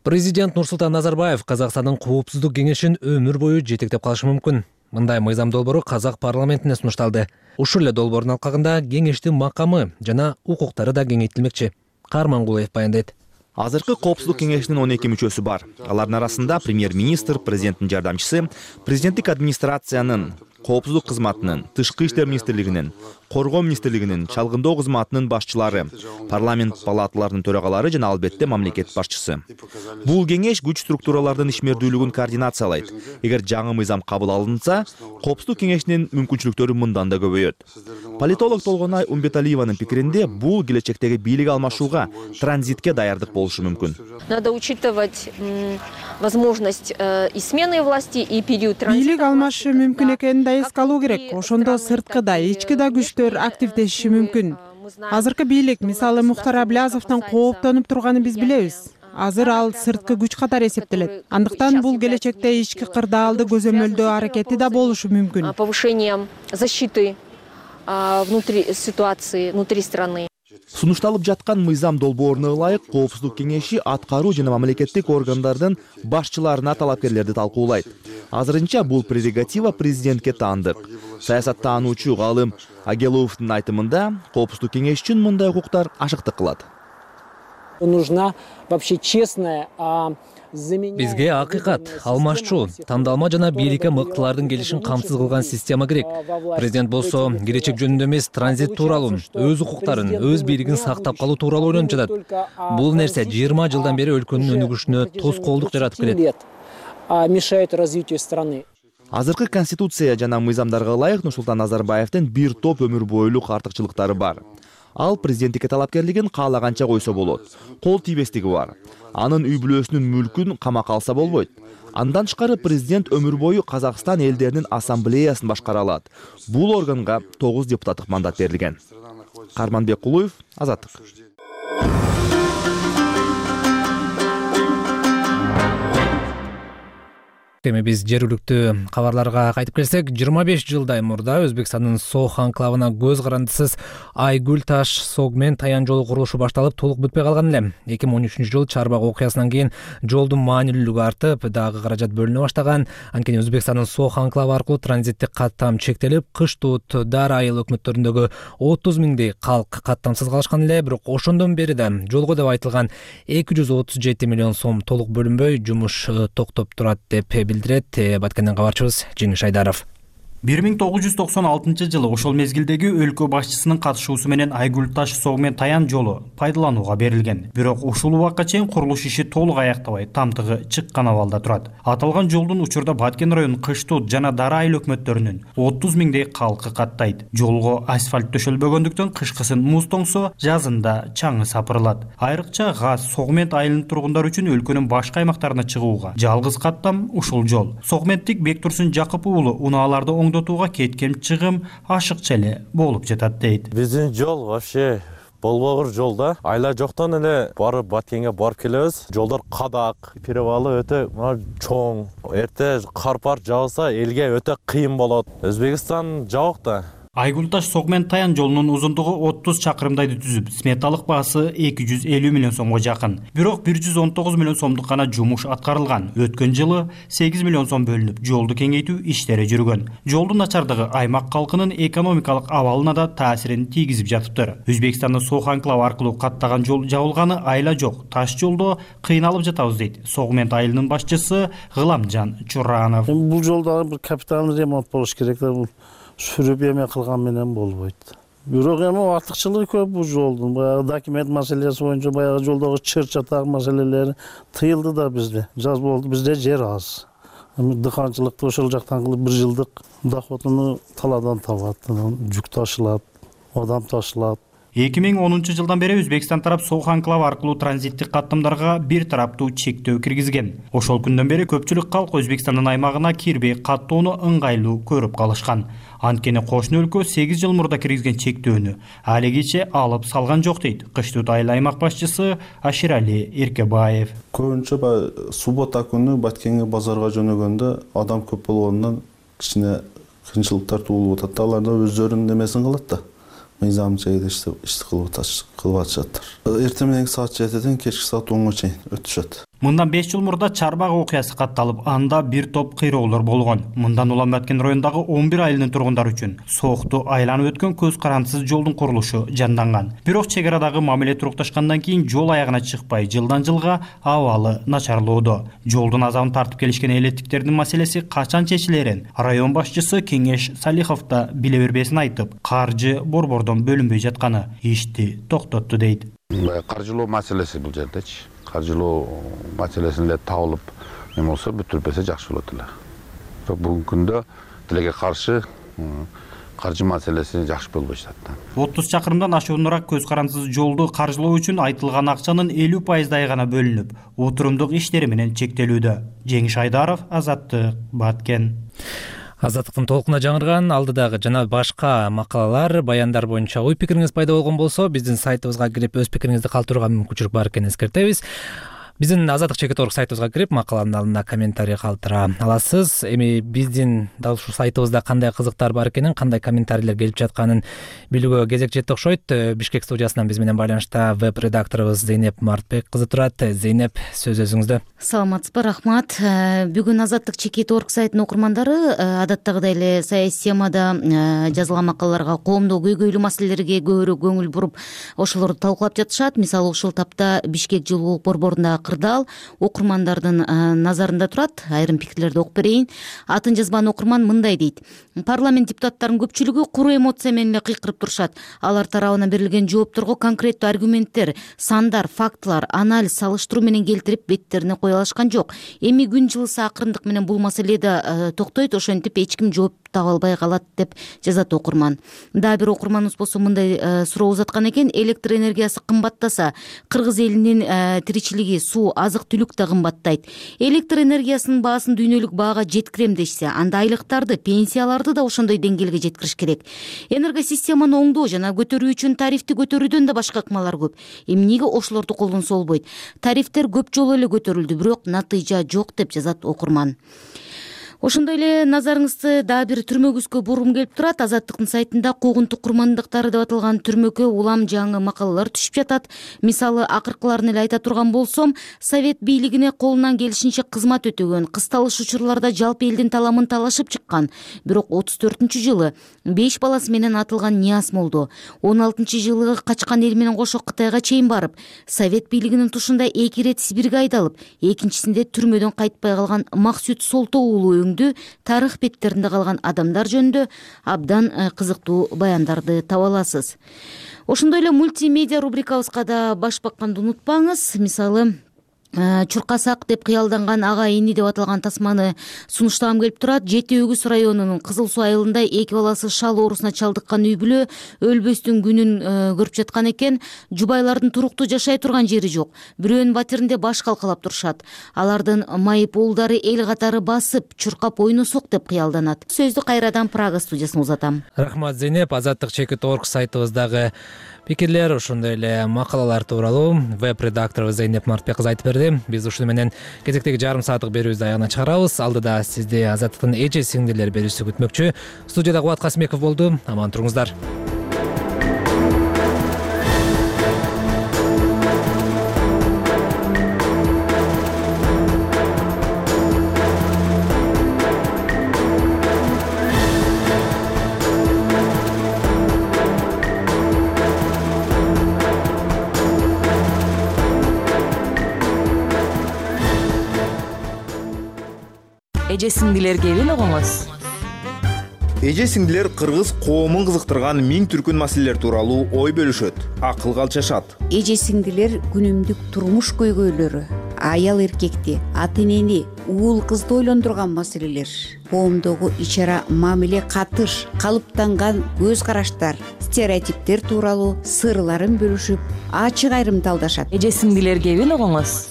Президент Нурсултан Назарбаев Казакстандын коопсуздук кеңешин өмүр бою жетектеп калышы мүмкүн. Мындай мыйзам долбоору Казак парламентине сунушталды. Ушул эле долбоордун алкагында кеңештин макамы жана укуктары да кеңейтилмекчи. Кармангулов баяндайт. Азыркы коопсуздук кеңешинин он эки мүчөсү бар. Алардын арасында премьер-министр, президенттин жардамчысы, президенттик администрациянын, коопсуздук кызматынын, тышкы иштер министрлигинин, коргоо министрлигинин, чалгындоо кызматынын башчылары, парламент палаталарынын төрагалары жана албетте мамлекет башчысы. Бул кеңеш күч структуралардын ишмердүүлүгүн координациялайт. Эгер жаңы мыйзам кабыл алынса, коопсуздук кеңешинин мүмкүнчүлүктөрү мындан да көбөйөт. Политолог Толгонай Умбеталиеванын пикиринде, бул келечектеги бийлик алмашууга, транзитке даярдык болушу мүмкүн. Надо учитывать возможность и смены власти, и период транзита. Бийлик алмашы мүмкүн экенин да эске алуу керек. Ошондо сырткы да, ички да күчтөр активдешиши мүмкүн. Азыркы бийлик, мисалы Мухтар Аблязовдон кооптонуп турганын биз билебиз. Азыр ал сырткы күч катары эсептелет. Андыктан бул келечекте ички кырдаалды көзөмөлдөө аракети да болушу мүмкүн. Повышением защиты внутри ситуации, внутри страны. Сунушталып жаткан мыйзам долбооруна ылайык коопсуздук кеңеши аткаруу жана мамлекеттик органдардын башчыларына талапкерлерди талкуулайт. Азырынча бул прерогатива президентке таандык. Саясаттануучу галым Агеловдун айтымында, коопсуздук кеңеш үчүн мындай укуктар ашыктык кылат. Нужна вообще честная, Бизге акыйкат, алмашчу, тандалма жана бийликке мыктылардын келишин камсыз кылган система керек. Президент болсо келечек жөнүндө эмес, транзит тууралуу, өз укуктарын, өз бийлигин сактап калуу тууралуу ойлонуп жатат. Бул нерсе жыйырма жылдан бери өлкөнүн өнүгүшүнө тоскоолдук жаратып келет. Мешает развитию страны. Азыркы конституция жана мыйзамдарга ылайык Нурсултан Назарбаевдин бир топ өмүр бойлук артыкчылыктары бар. Ал президенттикке талапкерлигин каалаганча койсо болот. Кол тийбестиги бар. Анын үй бүлөсүнүн мүлкүн камакка алса болбойт. Андан тышкары президент өмүр бою Казакстан элдеринин ассамблеясын башкара алат. Бул органга тогуз депутаттык мандат берилген. Карманбек Кулуев, Азаттык. Эми биз жергиликтүү кабарларга кайтып келсек, жыйырма беш жылдай мурда Өзбекстандын Сох анклавына көз карандысыз Айгүл таш Сог менен Таян жолу курулушу башталып, толук бүтпөй калган эле. эки миң он үчүнчү жылы Чарбак окуясынан кийин жолдун маанилүүлүгү артып, дагы каражат бөлүнө баштаган. Анткени Өзбекстандын Сох анклавы аркылуу транзиттик каттам чектелип, кыш Туут, Дар айыл өкмөттөрүндөгү отуз миңдей калк каттамсыз калышкан эле. Бирок ошондон бери да жолго деп айтылган эки жүз отуз жети миллион сом толук бөлүнбөй, жумуш токтоп турат деп билдирет Баткенден кабарчыбыз Жеңиш Айдаров. бир миң тогуз жүз токсон алтынчы жылы ошол мезгилдеги өлкө башчысынын катышуусу менен Айгүл таш Сог менен Таян жолу пайдаланууга берилген. Бирок ушул убакка чейин курулуш иши толук аяктабай, тамтыгы чыккан абалда турат. Аталган жолдун учурда Баткен районунун Кыш Туут жана Дара айыл өкмөттөрүнүн отуз миңдей калкы каттайт. Жолго асфальт төшөлбөгөндүктөн кышкысын муз тоңсо, жазында чаңы сапырылат. Айрыкча Газ, Согмент айылынын тургундары үчүн өлкөнүн башка аймактарына чыгууга жалгыз каттам ушул жол. Согменттик Бектурсун Жакып уулу унааларды оңдотууга кеткен чыгым ашыкча эле болуп жатат дейт. Биздин жол вообще болбогур жол да. Айла жоктон эле барып Баткенге барып келебиз. Жолдор кадак, перевалы өтө чоң. Эрте кар пар жааса элге өтө кыйын болот. Өзбекстан жабык да. Айгүл Таш — Согмен Таян жолунун узундугу отуз чакырымдайды түзүп, сметалык баасы эки жүз элүү миллион сомго жакын. Бирок бир жүз он тогуз миллион сомдук гана жумуш аткарылган. Өткөн жылы сегиз миллион сом бөлүнүп, жолду кеңейтүү иштери жүргөн. Жолдун начардыгы аймак калкынын экономикалык абалына да таасирин тийгизип жатыптыр. Өзбекстанда Сох анклавы аркылуу каттаган жол жабылганы айла жок. Таш жолдо кыйналып жатабыз дейт Согмент айылынын башчысы Гыламжан Чуранов. Бул жолдо бир капиталдык ремонт болуш керек да. Сүрүп эме кылган менен болбойт. Бирок эми артыкчылыгы көп бул жолдун. Баягы документ маселеси боюнча баягы жолдогу чыр чатак маселелери тыйылды да бизде. Жаз болду, бизде жер аз. Эми дыханчылыкты ошол жактан кылып бир жылдык доходуну талаадан табат. Жүк ташылат, адам ташылат. эки миң онунчу жылдан бери Өзбекстан тарап Сох анклавы аркылуу транзиттик каттамдарга бир тараптуу чектөө киргизген. Ошол күндөн бери көпчүлүк калк Өзбекстандын аймагына кирбей каттоону ыңгайлуу көрүп калышкан. Анткени кошуна өлкө сегиз жыл мурда киргизген чектөөнү алигиче алып салган жок дейт Кыштыут айыл аймак башчысы Аширали Эркебаев. Көбүнчө баягы суббота күнү Баткенге базарга жөнөгөндө адам көп болгондон кичине кыйынчылыктар туулуп атат. Алар да өздөрүнүн эмесин кылат да. Мыйзам чейде ишти кылып атышат. Эртең менен саат жетиден кечки саат онго чейин өтүшөт. Мындан беш жыл мурда Чарбак окуясы катталып, анда бир топ кыйроолор болгон. Мындан улам Баткен районундагы он бир айылдын тургундары үчүн Сохту айланып өткөн көз карандысыз жолдун курулушу жанданган. Бирок чек арадагы мамиле турукташкандан кийин жол аягына чыкпай, жылдан жылга абалы начарлоодо. Жолдун азабын тартып келишкен элеттиктердин маселеси качан чечилерин район башчысы Кеңеш Салихов да биле бербесин айтып, каржы борбордон бөлүнбөй жатканы ишти токтотту дейт. Каржылоо маселеси бул жердечи. Каржылоо маселесин эле табылып эме болсо бүтүрбөсө жакшы болот эле. Бирок бүгүнкү күндө тилеге каршы каржы маселеси жакшы болбой жатат. отуз чакырымдан ашуунураак көз карандысыз жолду каржылоо үчүн айтылган акчанын элүү пайыздай гана бөлүнүп, отурумдук иштери менен чектелүүдө. Жеңиш Айдаров, Азаттык, Баткен. Азаттыктын толкуна жаңырган алдыдагы жана башка макалалар, баяндар боюнча ой пикириңиз пайда болгон болсо, биздин сайтыбызга кирип өз пикириңизди калтырууга мүмкүнчүлүк бар экенин эскертебиз. Биздин Азаттык чекит орг сайтыбызга кирип, макаланын алдына комментарий калтыра аласыз. Эми биздин дал ушул сайтыбызда кандай кызыктар бар экенин, кандай комментарийлер келип жатканын билүүгө кезек жетти окшойт. Бишкек студиясынан биз менен байланышта веб-редакторубуз Зейнеп Мартбек кызы турат. Зейнеп, сөз өзүңүздө. Саламатсызбы, рахмат. Бүгүн Азаттык чекит орг сайтынын окурмандары адаттагыдай эле саясий темада жазылган макалаларга, коомдук көйгөйлүү маселелерге көбүрөөк көңүл буруп, ошолорду талкуулап жатышат. Мисалы, ушул тапта Бишкек жылуулук борборунда кырдаал окурмандардын назарында турат. Айрым пикирлерди окуп берейин. Атын жазбан окурман мындай дейт: парламент депутаттарынын көпчүлүгү куру эмоция менен эле кыйкырып турушат. Алар тарабынан берилген жоопторго конкреттүү аргументтер, сандар, фактылар, анализ, салыштыруу менен келтирип беттерине кое алышкан жок. Эми күн жылыса акырындык менен бул маселеде токтойт, ошентип эч ким жооп таба албай калат деп жазат окурман. Дагы бир окурманыбыз болсо мындай суроо узаткан экен: электр энергиясы кымбаттаса, кыргыз элинин тиричилиги, суу, азык-түлүк да кымбаттайт. Электр энергиясынын баасын дүйнөлүк баага жеткирем дешсе, анда айлыктарды, пенсияларды да ошондой деңгээлге жеткириш керек. Энергосистеманы оңдоо жана көтөрүү үчүн тарифти көтөрүүдөн да башка ыкмалар көп. Эмнеге ошолорду колдонсо болбойт? Тарифтер көп жолу эле көтөрүлдү, бирок натыйжа жок деп жазат окурман. Ошондой эле назарыңызды дагы бир түрмөгүзгө бургум келип турат. Азаттыктын сайтында куугунтук курмандыктары деп аталган түрмөккө улам жаңы макалалар түшүп жатат. Мисалы, акыркыларын эле айта турган болсом, Совет бийлигине колунан келишинче кызмат өтөгөн, кысталыш учурларда жалпы элдин таламын талашып чыккан. Бирок отуз төртүнчү жылы беш баласы менен атылган Нияз молдо, он алтынчы жылы качкан эл менен кошо Кытайга чейин барып, Совет бийлигинин тушунда эки ирет Сибирге айдалып, экинчисинде түрмөдөн кайтпай калган Максут Солто уулу тарых беттеринде калган адамдар жөнүндө абдан кызыктуу баяндарды таба аласыз. Ошондой эле мультимедиа рубрикабызга да баш бакканды унутпаңыз. Мисалы, чуркасак деп кыялданган ага ини деп аталган тасманы сунуштагым келип турат. Жети Өгүз районунун Кызыл Суу айылында эки баласы шал оорусуна чалдыккан үй бүлө өлбөстүн күнүн көрүп жаткан экен. Жубайлардын туруктуу жашай турган жери жок. Бирөөнүн батиринде баш калкалап турушат. Алардын майып уулдары эл катары басып, чуркап ойносок деп кыялданат. Сөздү кайрадан Прага студиясына узатам. Рахмат Зейнеп. Азаттык чекит точка орг сайтыбыздагы пикирлер, ошондой эле макалалар тууралуу веб-редакторубуз Зейнеп Мартбек кызы айтып берди. Биз ушуну менен кезектеги жарым сааттык берүүбүздү аягына чыгарабыз. Алдыда сизди Азаттыктын эже сиңдилер берүүсү күтмөкчү. Студияда Кубат Касымбеков болду. Аман туруңуздар. Эже сиңдилер кебин угуңуз. Эже сиңдилер кыргыз коомун кызыктырган миң түркүн маселелер тууралуу ой бөлүшөт, акылга алчашат. Эже сиңдилер күнүмдүк турмуш көйгөйлөрү, аял эркекти, ата энени, уул кызды ойлондурган маселелер, коомдогу ич-ара мамиле катыш, калыптанган көз караштар, стереотиптер тууралуу сырларын бөлүшүп, ачык айрымдалдашат. Эже сиңдилер кебин угуңуз.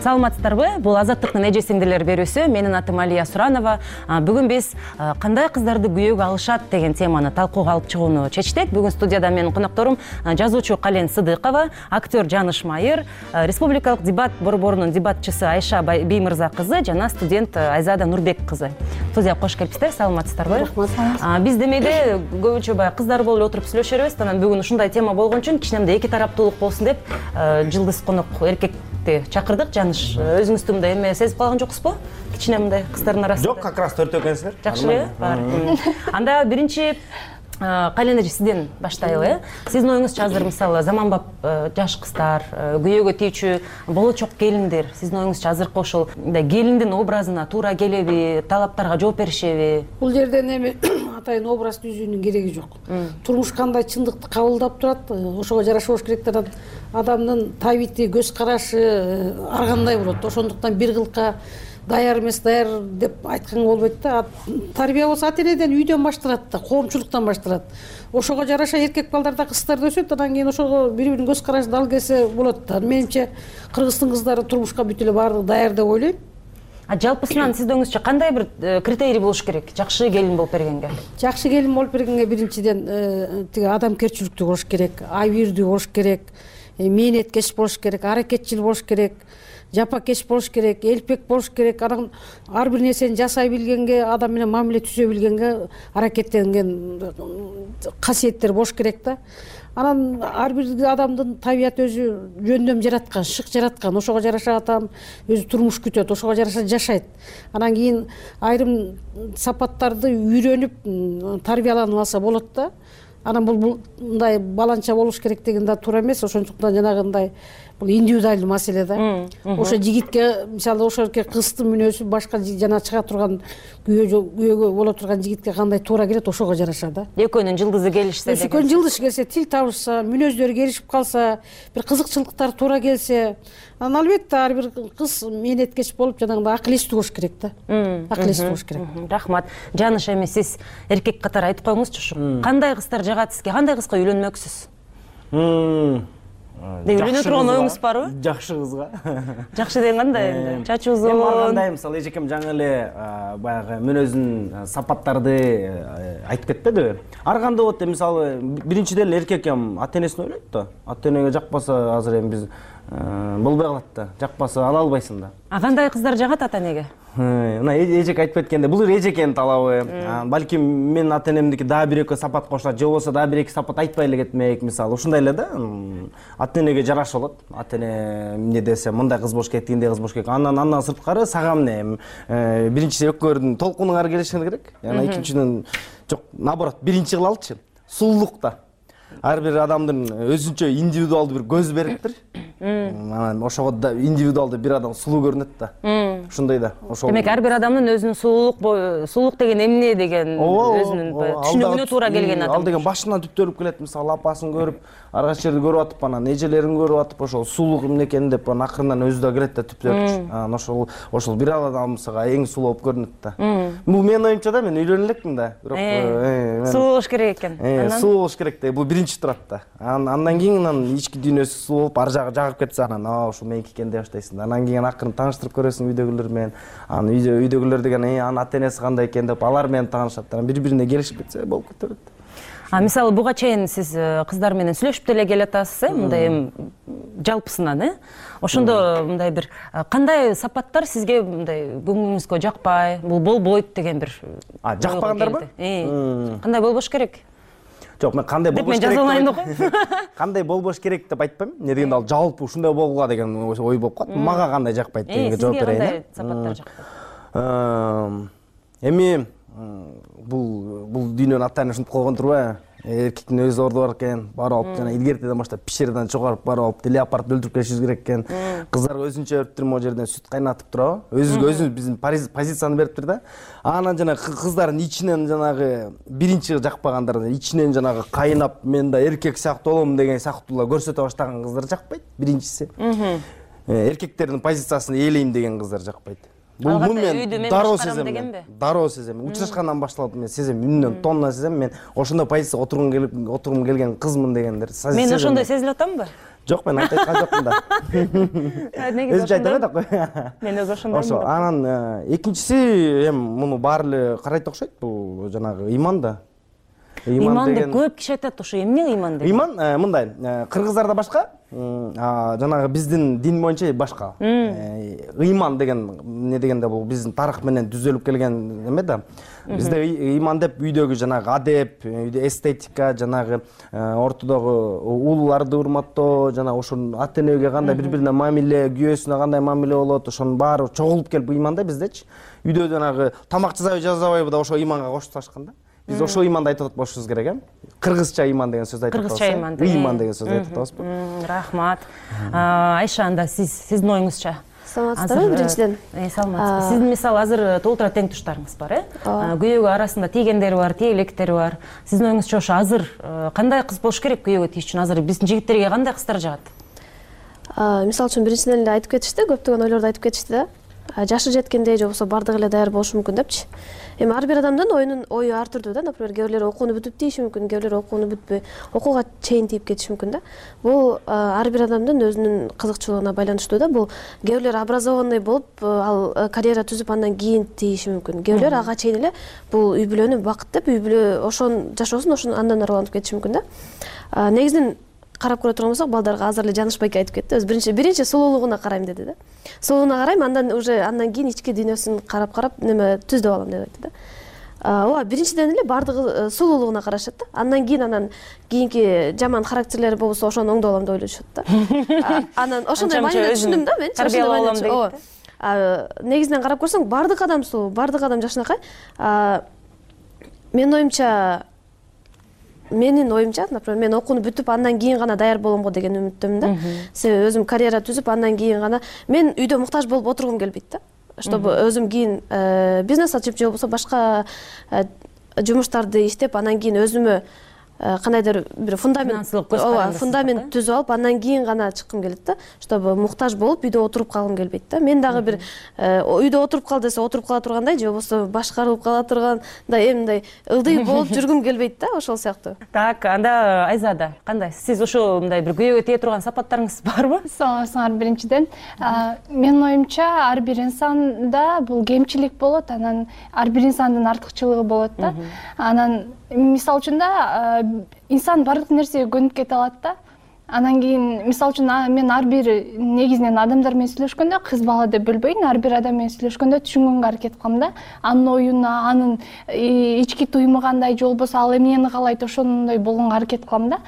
Саламатсыздарбы? Бул Азаттыктын эже сиңдилер берүүсү. Менин атым Алия Суранова. Бүгүн биз кандай кыздарды күйөөгө алышат деген теманы талкууга алып чыгууну чечтик. Бүгүн студияда менин конокторум жазуучу Кален Сыдыкова, актер Жаныш Майыр, республикалык дебат борборунун дебатчысы Айша Беймырза кызы жана студент Айзада Нурбек кызы. Студияга кош келипсиздер. Саламатсыздарбы? Рахмат. Биз демейде көбүнчө баягы кыздар болуп эле отуруп сүйлөшөрбүз. Анан бүгүн ушундай тема болгон үчүн кичинемде эки тараптуулук болсун деп жылдыз конок эркек чакырдык. Жаныш, өзүңүздү мындай эме сезип калган жоксузбу? Кичине мындай кыздардын арасында. Жок, как раз төртөө экенсиздер. Жакшы эле. Бар. Анда биринчи Кален эже сизден баштайлы. Сиздин оюңузча азыр мисалы заманбап жаш кыздар, күйөөгө тийчү болочок келиндер, сиздин оюңузча азыркы ошол келиндин образына туура келеби, талаптарга жооп беришеби? Бул жерден эми атайын образ түзүүнүн кереги жок. Турмуш кандай чындыкты кабылдап турат, ошого жараша болуш керек да адамдын табити, көз карашы ар кандай болот. Ошондуктан бир кылка даяр эмес, даяр деп айтканга болбойт да. Тарбия болсо ата энеден, үйдөн башталат да, коомчулуктан башталат. Ошого жараша эркек балдар да кыздар да өсөт, анан кийин ошого бири-биринин көз карашы дал келсе болот да. Менимче Кыргыздын кыздары турмушка бүт эле баардыгы даяр деп ойлойм. А жалпысынан сиздин оюңузча кандай бир критерий болуш керек жакшы келин болуп бергенге? Жакшы келин болуп бергенге биринчиден тиги адамгерчиликтүү болуш керек, абийирдүү болуш керек, мээнеткеч болуш керек, аракетчил болуш керек, жапакеш болуш керек, элпек болуш керек. Анан ар бир нерсени жасай билгенге, адам менен мамиле түзө билгенге аракеттенген касиеттер болуш керек да. Анан ар бир адамдын табияты өзү жөндөм жараткан, шык жараткан. Ошого жараша адам өзү турмуш күтөт, ошого жараша жашайт. Анан кийин айрым сапаттарды үйрөнүп тарбияланып алса болот да. Анан бул мындай баланча болуш керек деген да туура эмес. Ошондуктан жанагындай бул индивидуалдуу маселе да. Ошо жигитке мисалы ошо кыздын мүнөзү башка жана чыга турган күйөөгө боло турган жигитке кандай туура келет, ошого жараша да. Экөөнүн жылдызы келишсе деген. Экөөнүн жылдышы келсе, тил табышса, мүнөздөрү келишип калса, бир кызыкчылыктар туура келсе, анан албетте ар бир кыз мээнеткеч болуп жанагындай акыл эстүү болуш керек да. Акыл эстүү болуш керек. Рахмат. Жаныш, эми сиз эркек катары айтып коюңузчу, ушу кандай кыздар жагат сизге, кандай кызга үйлөнмөксүз? Үйлөнө турган оюңуз барбы? Жакшы кызга. Жакшы деген кандай энди? Чачы узун. Эми ар кандай, мисалы эжекем жаңы эле баягы мүнөзүн сапаттарды айтып кетпедиби? Ар кандай болот деп, мисалы биринчиден эле эркекем ата энесин ойлойт да. Ата энеге жакпаса азыр эми биз болбой калат да. Жакпаса ала албайсың да. А кандай кыздар жагат ата энеге? Мына эжек айтып кеткенде, бул эжекенин талабы. Балким менин ата энемдики дагы бир экөө сапат кошулат, же болбосо дагы бир эки сапат айтпай эле кетмек, мисалы. Ушундай эле да. Ата энеге жараша болот. Ата эне эмне десе, мындай кыз болуш керек, тигиндей кыз болуш керек. Андан андан сырткары сага эмне? Биринчиси экөөөрдүн толкунуңар келиши керек. Анан экинчиден жок, наоборот, биринчи кылалычы. Сулуулук да. Ар бир адамдын өзүнчө индивидуалдуу бир көзү бериптир. Анан ошого да индивидуалдуу бир адам сулуу көрүнөт да. ушундай да. Ошол демек ар бир адамдын өзүнүн сулуулук сулуулук деген эмне деген өзүнүн түшүнүгүнө туура келген адам. Ал деген башынан түптөлүп келет. Мисалы апасын көрүп, ар кайсы жерди көрүп атып, анан эжелерин көрүп атып, ошол сулуулук эмне экенин деп анан акырындан өзү да кирет да түптөлүп. Анан ошол ошол бир адамсыга эң сулуу болуп көрүнөт да. Бул менин оюмча да, мен үйлөнө элекмин да. Бирок сулуу болуш керек экен. Анан сулуу болуш керек да. Бул биринчи турат да. Андан кийин анан ички дүйнөсү сулуу болуп, ар жагы жагып кетсе анан ушул меники экен деп баштайсың. Анан кийин акырын тааныштырып көрөсүң үйдөгүлөр менен. Анан үйдөгүлөр деген анын ата энеси кандай экен деп алар менен таанышат. Анан бири-бирине келишип кетсе болуп кетет. А мисалы буга чейин сиз кыздар менен сүйлөшүп деле келатасыз, э, мындай эми жалпысынан, э? Ошондо мындай бир кандай сапаттар сизге мындай көңүлүңүзгө жакпай, бул болбойт деген бир жакпагандарбы? Кандай болбош керек? Жок, мен кандай болбош керек? Мен жазалайын да. Кандай болбош керек деп айтпайм. Эмне дегенде ал жалпы ушундай болгула деген ой болуп калат. Мага кандай жакпайт дегенге жооп берейин. Кандай сапаттар жакпайт? Эми бул бул дүйнөнүн атайын ушинтип койгон турбайбы? Эркектин өз орду бар экен, барып алып жана илгертеден баштап пещерадан чыгарып барып алып леопардты өлтүрүп келишибиз керек экен. Кыздарга өзүнчө өптүр могу жерден сүт кайнатып турабы? Өзүбүзгө өзүбүз биздин позицияны бериптир да. Анан жана кыздардын ичинен жанагы биринчи жакпагандар ичинен жанагы кайнап мен да эркек сыяктуу болом деген сыяктуулар көрсөтө баштаган кыздар жакпайт. Биринчиси. Эркектердин позициясын ээлейм деген кыздар жакпайт. Бул мен дароо сезем. Дароо сезем. Учурашкандан башталып мен сезем, үнүнөн тонна сезем. Мен ошондой позицияга отургум келип, отургум келген кызмын дегендер. Мен ошондой сезилип атамбы? Жок, мен айтып айткан жокмун да. Өзү айта да кой. Мен өзү ошондой. Ошо, анан экинчиси эми муну баары эле карайт окшойт, бул жанагы иман да. Иман деп көп киши айтат, ошо эмне иман деп? Иман мындай, кыргыздарда башка, жанагы биздин дин боюнча башка. Иман деген эмне дегенде бул биздин тарых менен түзөлүп келген эме да. Бизде иман деп үйдөгү жанагы адеп, үйдө эстетика, жанагы ортодогу улууларды урматтоо, жана ошонун ата энеге кандай бири-бирине мамиле, күйөөсүнө кандай мамиле болот, ошонун баары чогулуп келип иман да биздечи. Үйдө жанагы тамак жасабай жасабайбы да ошо иманга кошуп ташкан да. Биз ошо иманды айтып болушубуз керек, э? Кыргызча иман деген сөз айтып атабыз. Кыргызча иман. Иман деген сөз айтып атабызбы? Рахмат. Айша, анда сиз сиздин оюңузча? Саламатсыздарбы, биринчиден? Саламатсызбы. Сиздин мисалы азыр толтура тең туштарыңыз бар, э? Күйөөгө арасында тийгендери бар, тие электери бар. Сиздин оюңузча ошо азыр кандай кыз болуш керек күйөөгө тийиш үчүн? Азыр биздин жигиттерге кандай кыздар жагат? Мисалы үчүн биринчиден эле айтып кетишти, көптөгөн ойлорду айтып кетишти да. Жашы жеткенде же болбосо бардыгы эле даяр болушу мүмкүн депчи. Эми ар бир адамдын оюнун ою ар түрдүү да. Например, кээ бирлер окууну бүтүп тийиши мүмкүн, кээ бирлер окууну бүтпөй, окууга чейин тийип кетиши мүмкүн да. Бул ар бир адамдын өзүнүн кызыкчылыгына байланыштуу да. Бул кээ бирлер образованный болуп, ал карьера түзүп андан кийин тийиши мүмкүн. Кээ бирлер ага чейин эле бул үй бүлөнү бакыт деп, үй бүлө ошон жашоосун ошон андан ары улантып кетиши мүмкүн да. Негизинен карап көрө турган болсок, балдарга азыр эле Жаныш байке айтып кетти. Өз биринчи биринчи сулуулугуна карайм деди да. Сулуулугуна карайм, андан уже андан кийин ички дүйнөсүн карап-карап неме түздөп алам деп айтты да. Ооба, биринчиден эле бардыгы сулуулугуна карашат да. Андан кийин анан кийинки жаман характерлери болбосо ошону оңдоп алам деп ойлошот да. Анан ошондой маанилүү түшүндүм да мен. Тарбиялап алам дейт. Ооба. Негизинен карап көрсөң, бардык адам сулуу, бардык адам жашынакай. Менин оюмча Менин оюмча, например, мен окууну бүтүп, андан кийин гана даяр болом го деген үмүттөмүн да. Себеби өзүм карьера түзүп, андан кийин гана мен үйдө муктаж болуп отургум келбейт да. Чтобы өзүм кийин бизнес ачып же болбосо башка жумуштарды иштеп, андан кийин өзүмө кандайдыр бир фундамент, ооба, фундамент түзүп алып, андан кийин гана чыккым келет да. Чтобы муктаж болуп үйдө отуруп калгым келбейт да. Мен дагы бир үйдө отуруп кал десе отуруп кала тургандай, же болбосо башкарылып кала тургандай, эми мындай ылдый болуп жүргүм келбейт да, ошол сыяктуу. Так, анда Айзада кандай? Сиз ошо мындай бир күйөөгө тие турган сапаттарыңыз барбы? Саламатсыңар. Биринчиден, менин оюмча ар бир инсанда бул кемчилик болот, анан ар бир инсандын артыкчылыгы болот да. Анан мисалы үчүн да инсан баардык нерсеге көнүп кете алат да. Анан кийин мисалы үчүн мен ар бир негизинен адамдар менен сүйлөшкөндө, кыз бала деп бөлбөйн, ар бир адам менен сүйлөшкөндө түшүнгөнгө аракет кылам да. Анын оюна, анын ички туюму кандай, же болбосо ал эмнени каалайт, ошондой болгонго аракет кылам да.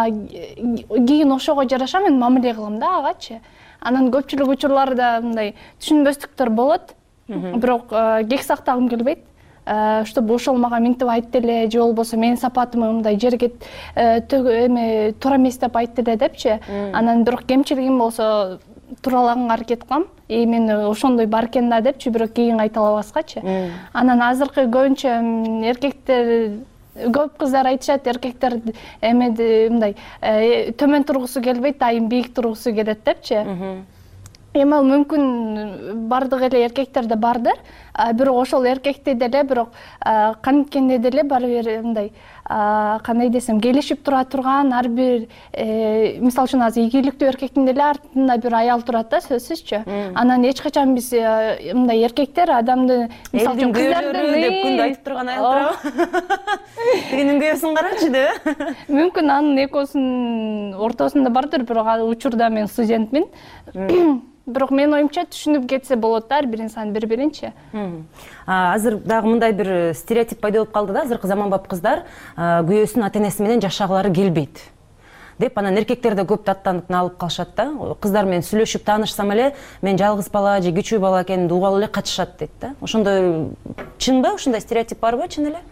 Кийин ошого жараша мен мамиле кылам да агачы. Анан көпчүлүк учурларда мындай түшүнбөстүктөр болот, бирок кек сактагым келбейт. Чтобы ошол мага минтип айтты эле, же болбосо менин сапатыма мындай жерге эме туура эмес деп айтты эле депчи. Анан бирок кемчилигим болсо туралаганга аракет кылам. И мен ошондой бар экен да депчи, бирок кийин кайталабаскачы. Анан азыркы көбүнчө эркектер, көп кыздар айтышат, эркектер эмеди мындай төмөн тургусу келбейт, дайым бийик тургусу келет депчи. Эми ал мүмкүн бардык эле эркектерде бардыр, бирок ошол эркекте деле бирок канткенде деле баары бир мындай кандай десем, келишип тура турган ар бир мисалы үчүн азыр ийгиликтүү эркектин деле артында бир аял турат да, сөзсүзчү. Анан эч качан биз мындай эркектер адамды мисалы үчүн кыздардын деп күндө айтып турган аял турабы? Тигинин күйөөсүн карачы деп. Мүмкүн анын экөөсүнүн ортосунда бардыр, бирок ал учурда мен студентмин. Бирок менин оюмча түшүнүп кетсе болот да ар бир инсан бири-биринчи. Азыр дагы мындай бир стереотип пайда болуп калды да, азыркы заманбап кыздар күйөөсүнүн ата-энеси менен жашагылары келбейт деп, анан эркектер да көп даттанып алып калышат да. Кыздар менен сүйлөшүп таанышсам эле мен жалгыз бала же кичүү бала экенин угалы эле качышат дейт да. Ошондой чынбы? Ушундай стереотип барбы чын эле?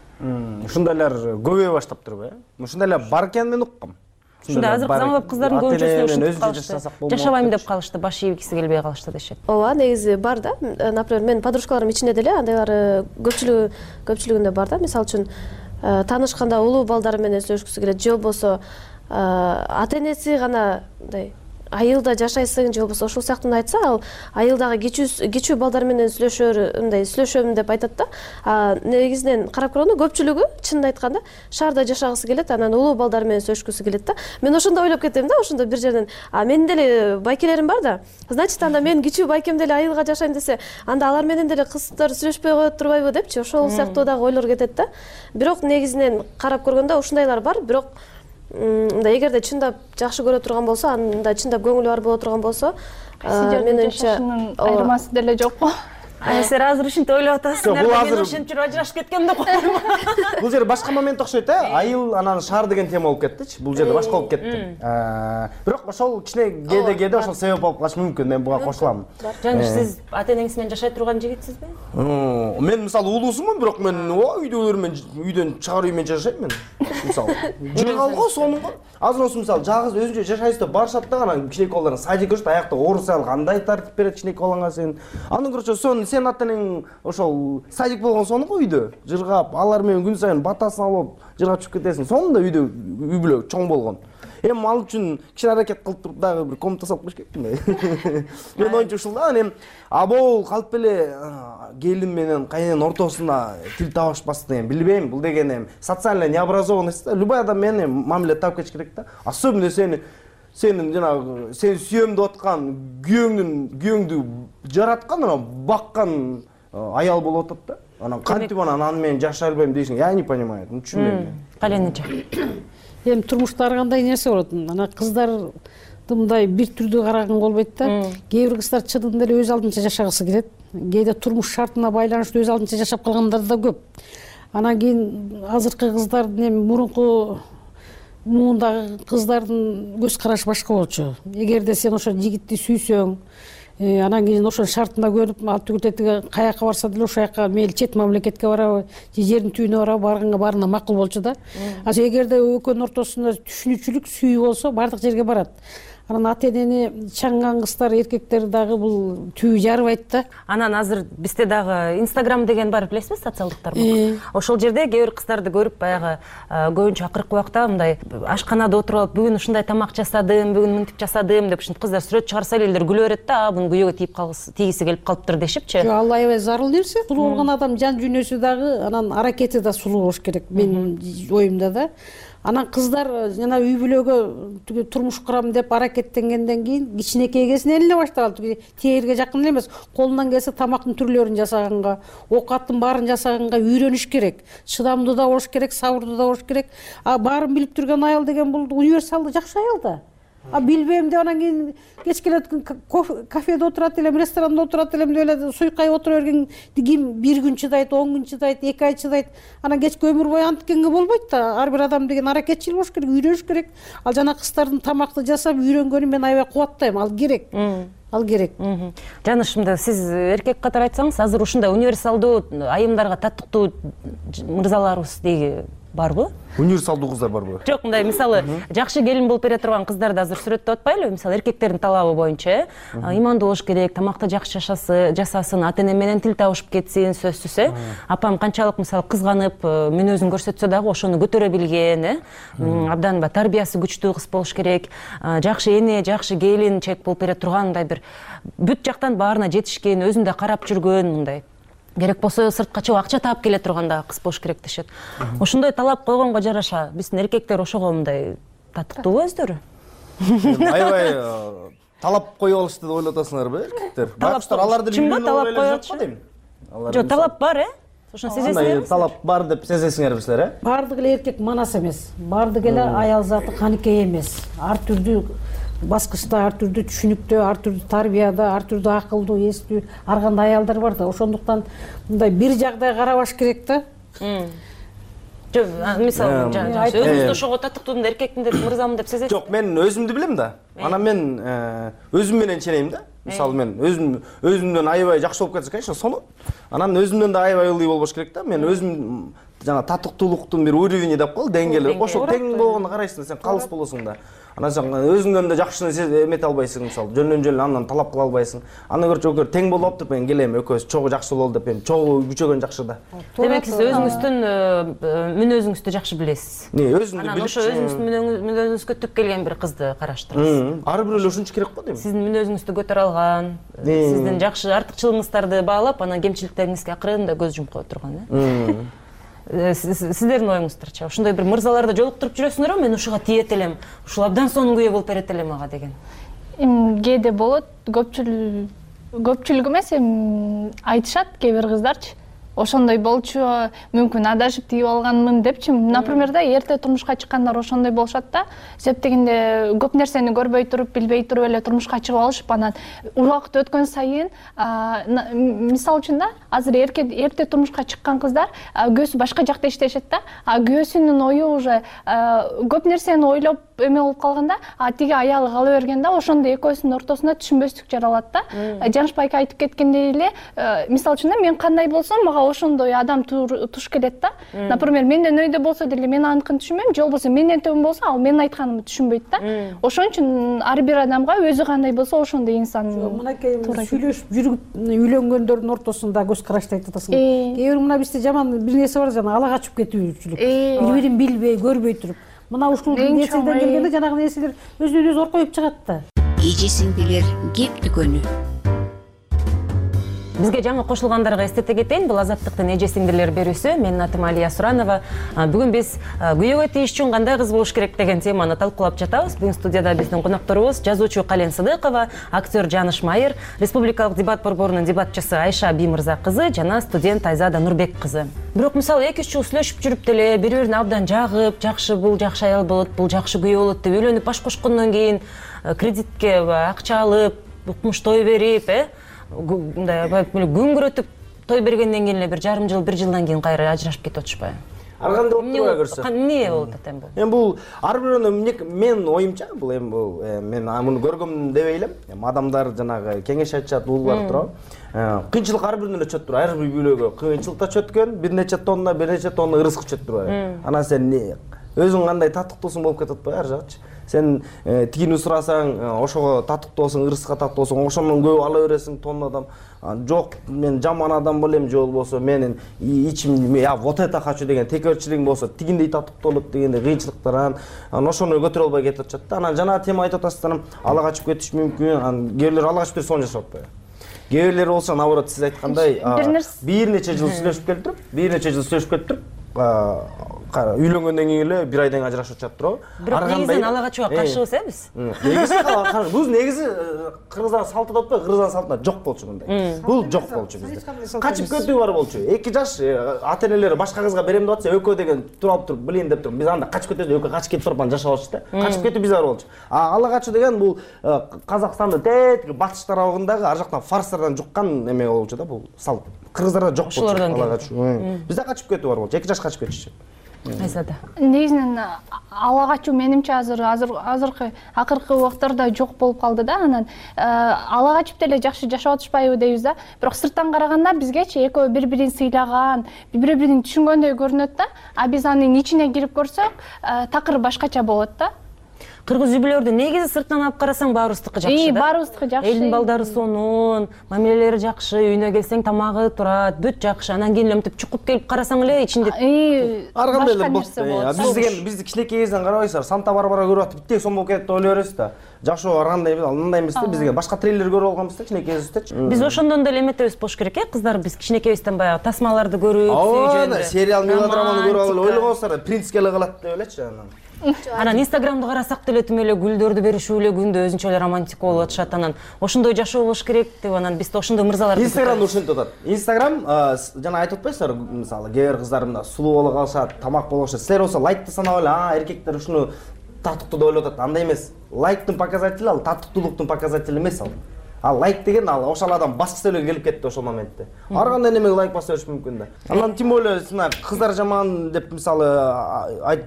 Ушундайлар көбөйө баштаптырбы? Ушундайлар бар экенин мен уккам. Ушундай азыркы заманбап кыздардын көбүнчөсү ушинтип калышты. Жашабайм деп калышты, баш ийгиси келбей калышты дешет. Ооба, негизи бар да. Например, менин подружкаларым ичинде деле андайлар көпчүлүгү көпчүлүгүндө бар да. Мисалы үчүн таанышканда улуу балдары менен сүйлөшкүсү келет, же болбосо ата-энеси гана мындай айылда жашайсың же болбосо ошол сыяктуу айтса, ал айылдагы кичүү кичүү балдар менен сүйлөшөр, мындай сүйлөшөм деп айтат да. А негизинен карап көргөндө көпчүлүгү чынын айтканда шаарда жашагысы келет, анан улуу балдар менен сүйлөшкүсү келет да. Мен ошондо ойлоп кетем да, ошондо бир жерден, а менин деле байкелерим бар да. Значит, анда мен кичүү байкем деле айылга жашайм десе, анда алар менен деле кыздар сүйлөшпөй коет турбайбы депчи, ошол сыяктуу дагы ойлор кетет да. Бирок негизинен карап көргөндө ушундайлар бар, бирок мындай эгерде чындап жакшы көрө турган болсо, анда чындап көңүлү бар боло турган болсо, менимче айырмасы деле жокпу? Сен азыр ушинтип ойлоп атасыңар да, мен ошентип жүрүп ажырашып кеткем деп койдум. Бул жер башка момент окшойт э, айыл анан шаар деген тема болуп кеттичи. Бул жерде башка болуп кетти. Бирок ошол кичине кээде кээде ошол себеп болуп калышы мүмкүн, мен буга кошулам. Жана сиз ата-энеңиз менен жашай турган жигитсизби? Мен мисалы улуусумун, бирок мен үйдөгүлөр менен үйдөн чыгар үй менен жашайм мен. Мисалы жыргал го сонун го. Азыр осу мисалы жалгыз өзүнчө жашайсыз деп барышат да, анан кичинекей балдар садик көрүшөт, аякта оорусай кандай тартип берет кичинекей балаңа сен. Андан көрчө сон сен ата-энең ошол садик болгон сонун го үйдө. Жыргап, алар менен күн сайын батасын алып, жыргап чыгып кетесиң. Сонун да үйдө үй бүлө чоң болгон. Эми ал үчүн кичине аракет кылып туруп дагы бир комната салып коюш керек да. Мен оюмча ушул да, эми абол калп эле келин менен кайненин ортосуна тил табышпас деген билбейм. Бул деген эми социальная необразованность да. Любой адам менен мамиле таап кетиш керек да. Особенно сени сенин жанагы сени сүйөм деп аткан күйөөңдүн күйөөңдү жараткан, анан баккан аял болуп атат да. Анан кантип анан аны менен жашай албайм дейсиң, я не понимаю, түшүнбөйм. Калениче. Эми турмушта ар кандай нерсе болот. Анан кыздарды мындай бир түрдүү караган болбойт да. Кээ бир кыздар чыдымды эле өз алдынча жашагысы келет. Кээде турмуш шартына байланыштуу өз алдынча жашап калгандар да көп. Анан кийин азыркы кыздардын эми мурунку муундагы кыздардын көз карашы башка болчу. Эгерде сен ошо жигитти сүйсөң, анан кийин ошол шартында көрүп, ал түгүлтетиге каяка барса деле ошол жака мейли чет мамлекетке барабы, же жердин түбүнө барабы, барганга баарына макул болчу да. А эгерде экөөнүн ортосунда түшүнүүчүлүк, сүйүү болсо, бардык жерге барат. Анан ата-энени чаңган кыздар, эркектер дагы бул түбү жарыбайт да. Анан азыр бизде дагы Instagram деген бар, билесизби, социалдык тармак. Ошол жерде кээ бир кыздарды көрүп, баягы көбүнчө акыркы убакта мындай ашканада отуруп, бүгүн ушундай тамак жасадым, бүгүн мынтип жасадым деп ушинтип кыздар сүрөт чыгарса эле элдер күлө берет да, бунун күйөөгө тийип калгысы, тийгиси келип калыптыр дешипчи. Жок, ал аябай зарыл нерсе. Сулуу болгон адам жан дүйнөсү дагы, анан аракети да сулуу болуш керек, менин оюмда да. Анан кыздар жана үй бүлөгө турмуш курам деп аракеттенгенден кийин кичинекей кезинен эле баштап алды. Тегерге жакын эле эмес, колунан келсе тамактын түрлөрүн жасаганга, оокаттын баарын жасаганга үйрөнүш керек. Чыдамдуу да болуш керек, сабырдуу да болуш керек. А баарын билип турган аял деген бул универсалдуу жакшы аял да. А билбейм деп анан кийин кеч келет кафеде отурат элем, ресторанда отурат элем деп эле суйкай отура берген ким бир күн чыдайт, он күн чыдайт, эки ай чыдайт. Анан кечки өмүр бою антикенге болбойт да. Ар бир адам деген аракетчил болуш керек, үйрөнүш керек. Ал жана кыздардын тамакты жасап үйрөнгөнүн мен аябай кубаттайм. Ал керек. Ал керек. Жанышымда сиз эркек катары айтсаңыз, азыр ушундай универсалдуу айымдарга таттыктуу мырзаларыбыз дейги барбы? Универсалдуу кыздар барбы? Жок, мындай мисалы жакшы келин болуп бере турган кыздарды азыр сүрөттөп атпайлыбы? Мисалы эркектердин талабы боюнча имандуу болуш керек, тамакты жакшы жасасын, ата-эне менен тил табышып кетсин, сөзсүз э. Апам канчалык мисалы кызганып, мүнөзүн көрсөтсө дагы ошону көтөрө билген, э. Абдан тарбиясы күчтүү кыз болуш керек, жакшы эне, жакшы келинчек болуп бере турган мындай бир бүт жактан баарына жетишкен, өзүн да карап жүргөн мындай. Керек болсо сыртка чыгып акча таап келе турганда кыз болуш керек дешет. Ошондой талап койгонго жараша биздин эркектер ошого мындай татыктуубу өздөрү? Аябай талап коюп алышты деп ойлоп атасыңарбы эркектер? Бакыштар аларды чынбы талап коёт дейм? Жок, талап бар, э? Ошону сезесиңерби? Талап бар деп сезесиңерби силер, э? Баардык эле эркек манас эмес. Баардык эле аял заты каныкей эмес. Ар түрдүү баскычта, ар түрдүү түшүнүктө, ар түрдүү тарбияда, ар түрдүү акылдуу, эстүү, ар кандай аялдар бар да. Ошондуктан мындай бир жагдай карабаш керек да. Жок, мисалы, өзүңүздү ошого татыктуумун, эркекмин деп, мырзамын деп сезесиз? Жок, мен өзүмдү билем да. Анан мен өзүм менен ченейм да. Мисалы мен өзүм өзүмдөн аябай жакшы болуп кетсе, конечно, сону. Анан өзүмдөн да аябай ылдый болбош керек да. Мен өзүм жана татыктуулуктун бир уровени деп коелу, деңгээли. Ошол тең болгондо карайсың, сен калыс болосуң да. Анан сен өзүңдөн да жакшыны эмете албайсың, мисалы, жөндөн жөн андан талап кыла албайсың. Андан көрчү өкөр тең болуп туруп мен келем, экөөбүз чогуу жакшы бололу деп, мен чогуу күчөгөн жакшы да. Демек сиз өзүңүздүн мүнөзүңүздү жакшы билесиз. Не, өзүмдү билип, ошо өзүңүздүн мүнөзүңүзгө түп келген бир кызды караштырасыз. Ар бирөө эле ушунчу керек го дейм. Сиздин мүнөзүңүздү көтөрө алган, сиздин жакшы артыкчылыгыңыздарды баалап, анан кемчиликтериңизге акырында көз жумуп кое турган, э? Сиздердин оюңуздарчы ошондой бир мырзаларды жолуктуруп жүрөсүңөрбү? Мен ушуга тиет элем, ушул абдан сонун күйөө болуп берет элем ага деген. Кээде болот, көпчүлүк көпчүлүк эмес, айтышат кээ бир кыздарчы. Ошондой болчу, мүмкүн адашып тийип алганмын депчи. Например, да эрте турмушка чыккандар ошондой болушат да. Себеп дегенде көп нерсени көрбөй туруп, билбей туруп эле турмушка чыгып алышып, анан убакыт өткөн сайын, мисалы үчүн да, азыр эрте турмушка чыккан кыздар күйөөсү башка жакта иштешет да. А күйөөсүнүн ою уже көп нерсени ойлоп эме болуп калганда, а тиги аялы кала берген да, ошондо экөөсүнүн ортосунда түшүнбөстүк жаралат да. Жанышбай айка айтып кеткендей эле, мисалы үчүн да, мен кандай болсом, мага ошондой адам туш келет да. Например, менден өйдө болсо деле мен аныкын түшүнбөйм, же болбосо менден төмөн болсо, ал менин айтканымды түшүнбөйт да. Ошон үчүн ар бир адамга өзү кандай болсо ошондой инсан. Мынакей сүйлөшүп жүрүп үйлөнгөндөрдүн ортосунда көз карашты айтып атасың. Кээ бир мына бизде жаман бир нерсе бар, жана ала качып кетүүчүлүк. Бири-бирин билбей, көрбөй туруп. Мына ушул нерседен келгенде жанагы нерселер өзүнөн өзү оркоюп чыгат да. Эжесиңдилер кеп дүкөнү. Бизге жаңы кошулгандарга эстете кетейин, бул Азаттыктын эже сиңдилер берүүсү. Менин атым Алия Суранова. Бүгүн биз күйөөгө тийишчү кандай кыз болуш керек деген теманы талкуулап жатабыз. Бүгүн студияда биздин конокторубуз жазуучу Кален Сыдыкова, актер Жаныш Майыр, республикалык дебат борборунун дебатчысы Айша Биймырза кызы жана студент Айзада Нурбек кызы. Бирок мисалы эки үч жыл сүйлөшүп жүрүп деле бири-бирин абдан жагып, жакшы бул жакшы аял болот, бул жакшы күйөө болот деп үйлөнүп баш кошкондон кийин кредитке акча алып, укмуш той берип, э мындай күнгүрөтүп той бергенден кийин эле бир жарым жыл, бир жылдан кийин кайра ажырашып кетип атышпайбы? Ар кандай болуп турбай көрсө. Эмне болуп атат эми бул? Эми бул ар бирөөнүн мен оюмча, бул эми бул мен муну көргөм деп эйлем. Эми адамдар жанагы кеңеш айтышат, уулар турабы. Кыйынчылык ар биринен чөт турат. Ар бир үйлөөгө кыйынчылыкта чөткөн, бир нече тонна, бир нече тонна ырыскы чөт турат. Анан сен өзүң кандай татыктуусуң болуп кетип атпайбы ар жагычы? Сен тигини сурасаң, ошого татыктуу болсоң, ырыска татыктуу болсоң, ошондон көп ала бересиң тоннадан. Жок, мен жаман адам болем, же болбосо менин ичим я вот это хочу деген текөрчүлүгүң болсо, тигиндей татыктуу болот дегенде кыйынчылыктар анан ошону көтөрө албай кетип атышат да. Анан жана тема айтып атасыздар, ала качып кетиш мүмкүн. Анан кээ бирлер ала качып кетип сонун жашап атпайбы? Кээ бирлер болсо, наоборот, сиз айткандай, бир нече жыл сүйлөшүп келип туруп, бир нече жыл сүйлөшүп келип туруп, үйлөнгөндөн кийин эле бир айдан ажырашып чыгат турабы? Бирок негизинен ала качууга каршыбыз э биз. Негизи бул негизи кыргыздан салты деп атпайбы? Кыргыздан салтында жок болчу мындай. Бул жок болчу бизде. Качып кетүү бар болчу. эки жаш ата-энелери башка кызга берем деп атса, экөө деген туруп туруп, билейин деп туруп, биз анда качып кетебиз, экөө качып кетип туруп анан жашап алчу да. Качып кетүү биз бар болчу. А ала качуу деген бул Казакстандын тетиги батыш тарабындагы ар жактан фарстардан жуккан эме болчу да, бул салт. Кыргыздарда жок болчу ала качуу. Бизде качып кетүү бар болчу, эки жаш качып кетишчү. Айзада негизинен ала качуу менимче азыр азыр азыркы акыркы убактарда жок болуп калды да. Анан ала качып деле жакшы жашап атышпайбы дейбиз да. Бирок сырттан караганда бизгечи экөө бири бирин сыйлаган, бири бирин түшүнгөндөй көрүнөт да. А биз анын ичине кирип көрсөк, такыр башкача болот да. Кыргыз үй бүлөлөрдү негизи сыртынан алып карасаң баарыбыздыкы жакшы да. Баарыбыздыкы жакшы. Элдин балдары сонун, мамилелери жакшы, үйүнө келсең тамагы турат, бүт жакшы. Анан кийин эле мынтип чукуп келип карасаң эле ичинде ар кандай эле болот. Биз деген бизди кичинекейибизден карабайсыздар, Санта-Барбара көрүп атып биттей сом болуп кетет деп ойлой бересиз да. Жакшы ар кандай эмес, мындай эмес да. Бизге башка трейлер көрүп алганбыз да кичинекейибиздечи. Биз ошондон деле эметебиз болуш керек э, кыздар биз кичинекейибизден баягы тасмаларды көрүп, сүйжөндөр. Сериал, мелодраманы көрүп алып ойлогонсуздар, принцке эле калат деп элечи анан. Анан Инстаграмды карасак деле тим эле гүлдөрдү беришип эле күндө өзүнчө эле романтик болуп атышат. Анан ошондой жашоо болуш керек деп анан биз да ошондой мырзаларды Инстаграмды ушинтип атат. Инстаграм жана айтып атпайсыздарбы, мисалы кээ бир кыздар мында сулуу боло калышат, тамак боло калышат. Силер болсо лайкты санап эле, а эркектер ушуну татыктуу деп ойлоп атат. Андай эмес. Лайктын показатели ал татыктуулуктун показатели эмес ал. Ал лайк деген ал ошол адам баскысы эле келип кетти ошол моментте. Ар кандай немеге лайк баса бериш мүмкүн да. Анан тем более мына кыздар жаман деп мисалы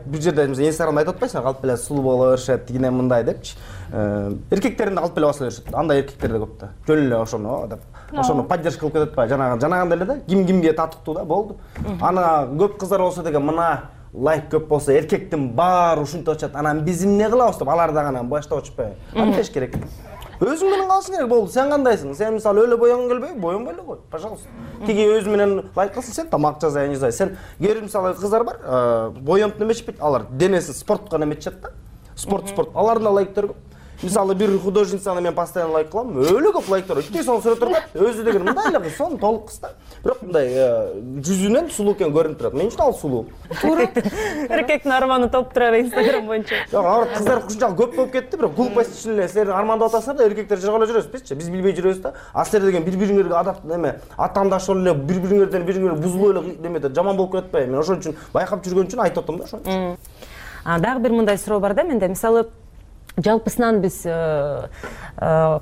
бир жерде Инстаграмда айтып атпайсыңбы, калп эле сулуу боло беришет, тигине мындай депчи. Эркектерин да калп эле баса беришет. Андай эркектер да көп да. Жөн эле ошону деп. Ошону поддержка кылып кетет ба? Жанагы жанагындай эле да. Ким кимге татыктуу да болду. Ана көп кыздар болсо деген мына лайк көп болсо эркектин баары ушинтип атышат. Анан биз эмне кылабыз деп алар дагы анан баштап атышпайбы? Антеш керек. Өзүң менен калышың керек болду. Сен кандайсың? Сен мисалы өлө боянгың келбейби? Боянбай эле кой, пожалуйста. Тиги өзү менен лайк кылсын, сен тамак жасайын, жасай. Сен кээ бир мисалы кыздар бар, боянып неметишпейт, алар денесин спортко неметишет да. Спорт, спорт. Алардын да лайктары көп. Мисалы бир художницаны мен постоянно лайк кылам, өлө көп лайктар. Үчтөй сонун сүрөт турат. Өзү деген мындай эле кыз, сонун толук кыз да. Бирок мындай жүзүнөн сулуу экен көрүнүп турат. Мен үчүн ал сулуу. Эркектин арманы топ турар Инстаграм боюнча. Жок, алар кыздар ушунчалык көп болуп кетти, бирок глупость үчүн эле силер армандап атасыңар да, эркектер жыргалап жүрөбүз бизчи. Биз билбей жүрөбүз да. А силер деген бири-бириңерге адап неме, атаандаш эле бири-бириңерден бириңер бузулуп эле неметет, жаман болуп кетпейби? Мен ошон үчүн байкап жүргөн үчүн айтып атам да ошону. А дагы бир мындай суроо бар да менде. Мисалы жалпысынан биз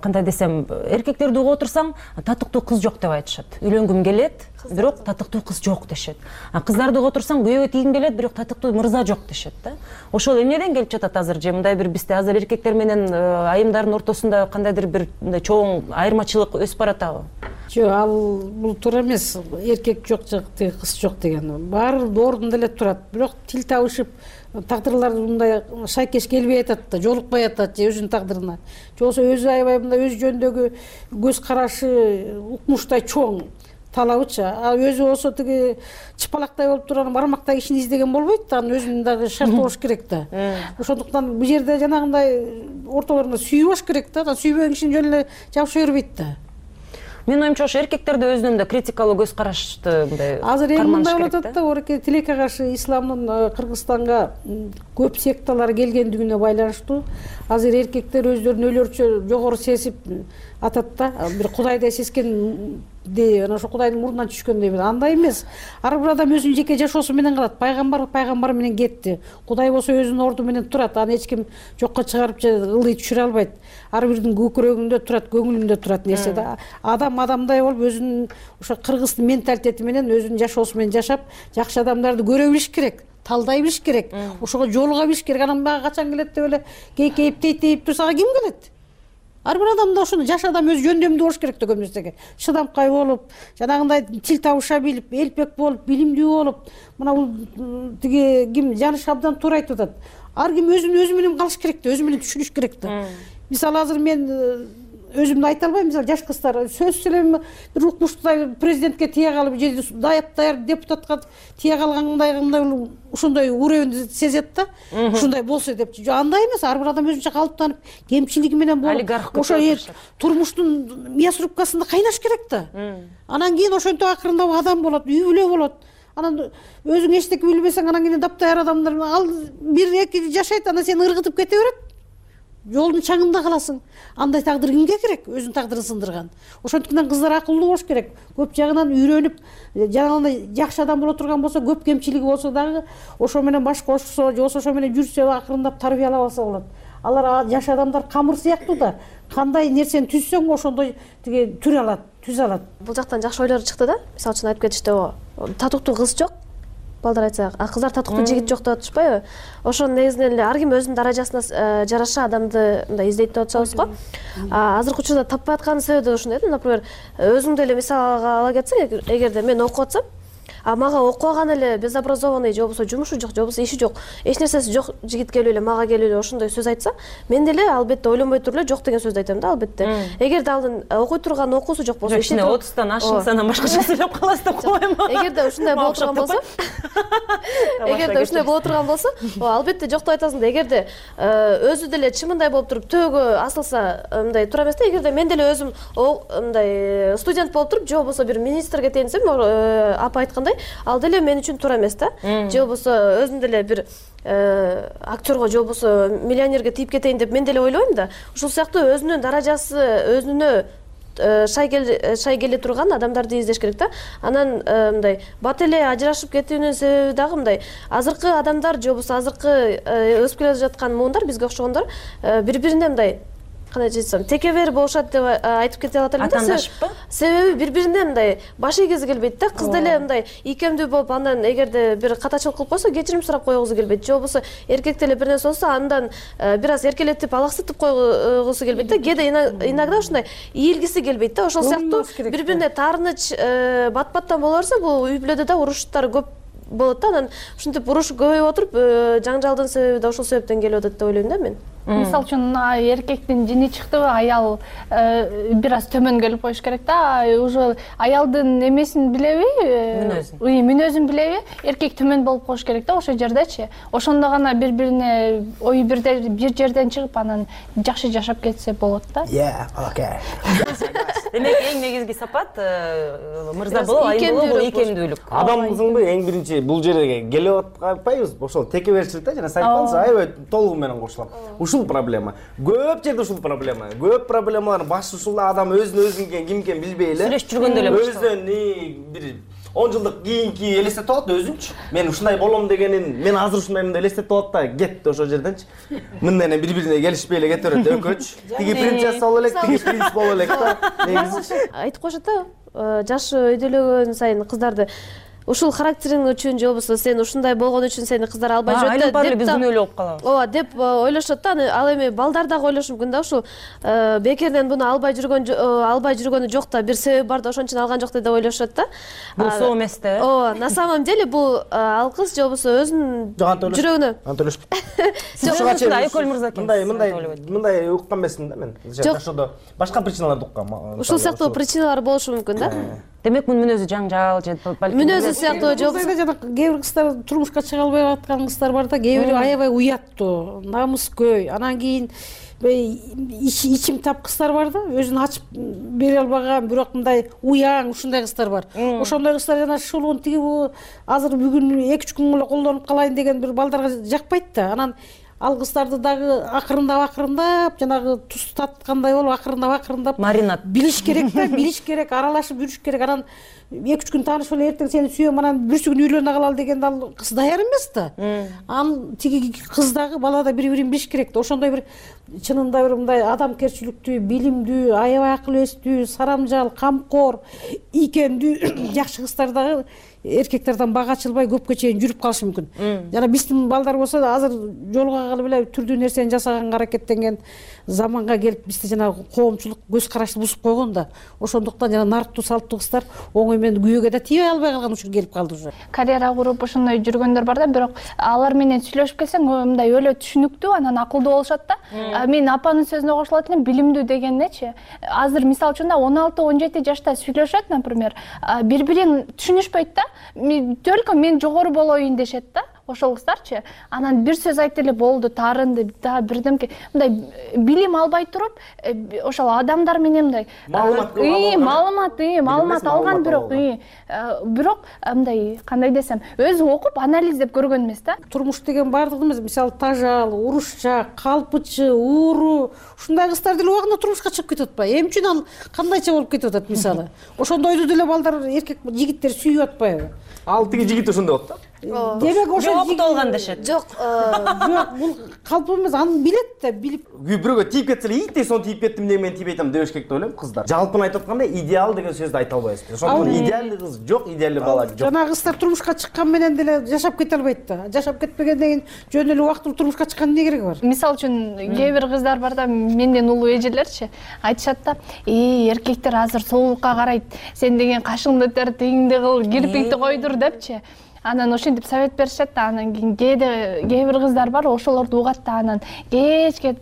кандай десем, эркектерди угуп отурсаң, татыктуу кыз жок деп айтышат. Үйлөнгүм келет, бирок татыктуу кыз жок дешет. А кыздарды угуп отурсаң, күйөөгө тийгим келет, бирок татыктуу мырза жок дешет да. Ошол эмнеден келип жатат азыр же мындай бир бизде азыр эркектер менен айымдардын ортосунда кандайдыр бир мындай чоң айырмачылык өсүп баратабы? Жок, ал бул туура эмес. Эркек жок жок, кыз жок деген. Баары ордунда эле турат. Бирок тил табышып, тагдырлар мындай шайкеш келбей атат да, жолукпай атат же өзүнүн тагдырына. Же болбосо өзү аябай мындай өз жөнүндөгү көз карашы, укмуштай чоң талабычы. А өзү болсо тиги чыпалактай болуп турган бармактай кишини издеген болбойт да, анын өзүнүн дагы шарты болуш керек да. Ошондуктан бул жерде жанагындай ортолоруна сүйүү болуш керек да, сүйбөгөн кишини жөн эле жабыша бербейт да. Менин оюмча ошо эркектерде өзүнүн да критикалуу көз карашты мындай азыр эми мындай болуп атат да, ореке тилекке каршы исламдын Кыргызстанга көп секталар келгендигине байланыштуу азыр эркектер өздөрүн өлөрчө жогору сезип атат да, бир кудайдай сескенди, анан ошо кудайдын мурдунан түшкөндөй. Андай эмес. Ар бир адам өзүнүн жеке жашоосу менен калат. Пайгамбар пайгамбар менен кетти. Кудай болсо өзүнүн орду менен турат. Аны эч ким жокко чыгарып же ылдый түшүрө албайт. Ар бирдин көкүрөгүндө турат, көңүлүндө турат нерсе да. Адам адамдай болуп өзүнүн ошо кыргыздын менталитети менен өзүнүн жашоосу менен жашап, жакшы адамдарды көрө билиш керек. Талдай билиш керек. Ошого жолуга билиш керек. Анан мага качан келет деп эле кейкейип тейтейип турса ким келет? Ар бир адамда ошону жаш адам өз жөндөмдүү болуш керек да, көп нерсеге шыдамкай болуп, жанагындай тил табыша билип, элпек болуп, билимдүү болуп, мына бул тиги ким Жаныш абдан туура айтып атат. Ар ким өзүн өзү менен калыш керек да, өзү менен түшүнүш керек да. Мисалы азыр мен өзүмдү айта албайм, мисалы жаш кыздар сөзсүз эле бир укмуштудай президентке тие калып же даяп даяр депутатка тие калгандай мындай ошондой уровенди сезет да, ушундай болсо деп. Жок, андай эмес. Ар бир адам өзүнчө калыптанып, кемчилиги менен болуп, ошо турмуштун мясорубкасында кайнаш керек да. Анан кийин ошентип акырындап адам болот, үй бүлө болот. Анан өзүң эчтеке билбесең, анан кийин даптаяр адамдар ал бир эки жашайт, анан сени ыргытып кете берет. Жолдун чаңында каласың. Андай тагдыр кимге керек? Өзүнүн тагдырын сындырган. Ошондуктан кыздар акылдуу болуш керек. Көп жагынан үйрөнүп, жанагындай жакшы адам боло турган болсо, көп кемчилиги болсо дагы ошо менен баш кошсо, же болбосо ошо менен жүрсө, акырындап тарбиялап алса болот. Алар жаш адамдар камыр сыяктуу да. Кандай нерсени түзсөң, ошондой тиги түр алат, түз алат. Бул жактан жакшы ойлор чыкты да. Мисалы үчүн айтып кетишти, татыктуу кыз жок. балдар айтса, а кыздар татыктуу жигит жок деп атышпайбы? Ошонун негизинен эле ар ким өзүнүн даражасына жараша адамды мындай издейт деп атышабыз го. Азыркы учурда таппай аткан себеби ушундай да, например, өзүңдү эле мисалга ала кетсең, эгерде мен окуп атсам, а мага окуган эле безобразованный же болбосо жумушу жок, же болбосо иши жок, эч нерсеси жок жигит келип эле мага келип эле ошондой сөз айтса, мен деле албетте ойлонбой туруп эле жок деген сөздү айтам да, албетте. Эгерде алдын окуй турган окуусу жок болсо, ичине отуздан ашыңыз анан башкача сүйлөп каласыз деп койбойм. Эгерде ушундай боло турган болсо, эгерде ушундай боло турган болсо, албетте жок деп айтасың да. Эгерде өзү деле чымындай болуп туруп төөгө асылса, мындай туура эмес да. Эгерде мен деле өзүм мындай студент болуп туруп, же болбосо бир министрге тeenсем, апа айткандай, ал деле мен үчүн туура эмес да. Же болбосо өзүм деле бир актерго же болбосо миллионерге тийип кетейин деп мен деле ойлойм да. Ушул сыяктуу өзүнүн даражасы, өзүнө шай келе турган адамдарды издеш керек да. Анан мындай бат эле ажырашып кетүүнүн себеби дагы мындай, азыркы адамдар же болбосо азыркы өсүп келе жаткан муундар, бизге окшогондор бири-бирине мындай кандай айтсам, текебер болушат деп айтып кете алат элем да. Атаандашпы? Себеби бири-бирине мындай баш ийгизи келбейт да. Кыз деле мындай ийкемдүү болуп, андан эгерде бир катачылык кылып койсо, кечирим сурап койгусу келбейт. Же болбосо эркек деле бир нерсе болсо, андан бир аз эркелетип, алаксытып койгусу келбейт да. Кээде иногда ушундай ийилгиси келбейт да. Ошол сыяктуу бири-бирине таарыныч бат-баттан боло берсе, бул үй бүлөдө да уруштар көп болот да. Анан ушинтип уруш көбөйүп отуруп, жаңжалдын себеби да ошол себептен келип атат деп ойлойм да мен. Мисалы үчүн эркектин жини чыктыбы, аял бир аз төмөн келип коюш керек да. Уже аялдын эмесин билеби, мүнөзүн мүнөзүн билеби, эркек төмөн болуп коюш керек да ошол жердечи. Ошондо гана бири-бирине ою бирде бир жерден чыгып, анан жакшы жашап кетсе болот да. Yeah, okay. Демек эң негизги сапат мырза болуп, айым болуп, бул ийкемдүүлүк. Адамсыңбы эң биринчи бул жерге келип атпайбыз, ошол текеберчилик да, жана сайткансыз, аябай толугу менен кошулам. Ушул проблема. Көп жерде ушул проблема. Көп проблемалардын башы ушул адам өзүн өзүнө ким экен билбей эле. Сүйлөшүп жүргөндө эле өзүн бир он жылдык кийинки элестетип алат өзүнчү. Мен ушундай болом дегенин, мен азыр ушундаймын деп элестетип алат да, кетти ошол жерденчи. Мындай бири-бирине келишпей эле кете берет экөөчү. Тиги принцесса боло элек, тиги принц боло элек да. Негизи айтып коюшат да, жашы өйдөлөгөн сайын кыздарды ушул характериң үчүн же болбосо сен ушундай болгон үчүн сени кыздар албай жүрөт деп. Айыл биз күнөөлүү болуп калабыз. Ооба, деп ойлошот да. Ал эми балдар дагы ойлошу мүмкүн да, ушул бекерден буну албай жүргөн албай жүргөнү жок да, бир себеби бар да, ошон үчүн алган жок деп ойлошот да. Бул соо эмес да. Ооба, на самом деле бул ал кыз же болбосо өзүнүн жүрөгүнө. Анта ойлошпойт. Айкөл мырза мындай мындай мындай уккан эмесмин да мен. Жашоодо башка причиналарды уккам. Ушул сыяктуу причиналар болушу мүмкүн да. Демек мунун мүнөзү жаңжал же балким мүнөзү сыяктуу жок. Жана кээ бир кыздар турмушка чыга албай аткан кыздар бар да, кээ бири аябай уяттуу, намыскөй, анан кийин ичим тап кыздар бар да, өзүн ачып бере албаган, бирок мындай уяң ушундай кыздар бар. Ошондой кыздар жана шулуун тиги азыр бүгүн эки үч күн эле колдонуп калайын деген бир балдарга жакпайт да. Анан ал кыздарды дагы акырындап акырындап жанагы туз таткандай болуп акырындап акырындап маринад билиш керек да, билиш керек, аралашып жүрүш керек. Анан эки үч күн таанышып эле эртең сени сүйөм, анан бүрсү күнү үйлөнө калалы дегенде ал кыз даяр эмес да. Анан тиги кыз дагы бала да бири-бирин билиш керек да. Ошондой бир чынында бир мындай адамкерчиликтүү, билимдүү, аябай акыл эстүү, сарамжал, камкор, ийкемдүү жакшы кыздар дагы эркектерден бага ачылбай көпкө чейин жүрүп калышы мүмкүн. Жана биздин балдар болсо да азыр жолуга калып эле түрдүү нерсени жасаганга аракеттенген заманга келип бизде жана коомчулук көз карашты бузуп койгон да. Ошондуктан жана нарктуу салттуу кыздар оңой менен күйөөгө да тийбей албай калган учур келип калды уже. Карьера куруп ошондой жүргөндөр бар да, бирок алар менен сүйлөшүп келсең мындай өлө түшүнүктүү, анан акылдуу болушат да. Мен апанын сөзүнө кошулат элем, билимдүү дегеннечи. Азыр мисалы үчүн он алты он жети жашта сүйлөшөт, например, бири-бирин түшүнүшпөйт да. Только мен жогору болоюн дешет да, ошол кыздарчы. Анан бир сөз айтты эле болду, таарынды, да бирдемке мындай билим албай туруп, ошол адамдар менен мындай маалымат маалымат маалымат алган, бирок бирок мындай кандай десем, өзү окуп анализдеп көргөн эмес да. Турмуш деген баардыгы эмес, мисалы тажал, урушчак, калпычы, ууру, ушундай кыздар деле убагында турмушка чыгып кетип атпайбы? Эмне үчүн ал кандайча болуп кетип атат мисалы? Ошондойду деле балдар, эркек жигиттер сүйүп атпайбы? Ал тиги жигит ошондой болот да. демек ошо окутуп алган дешет. жок жок бул калп эмес, аны билет да, билип бирөөгө тийип кетсе эле ийт сонун тийип кеттим деп мен тийбей атам дебеш керек деп ойлойм кыздар. Жалпын айтып атканда идеал деген сөздү айта албайбыз. Ошондуктан идеальный кыз жок, идеальный бала жок. Жанагы кыздар турмушка чыккан менен деле жашап кете албайт да. Жашап кетпегенден кийин жөн эле убактылуу турмушка чыккандын эмне кереги бар? Мисалы үчүн кээ бир кыздар бар да, менден улуу эжелерчи айтышат да, "Эй, эркектер азыр соолукка карайт. Сен деген кашыңды тер, тегиңди кыл, кирпикти койдур" депчи. Анан ошентип совет беришет да, анан кийин кээде кээ бир кыздар бар, ошолорду угат да, анан кечке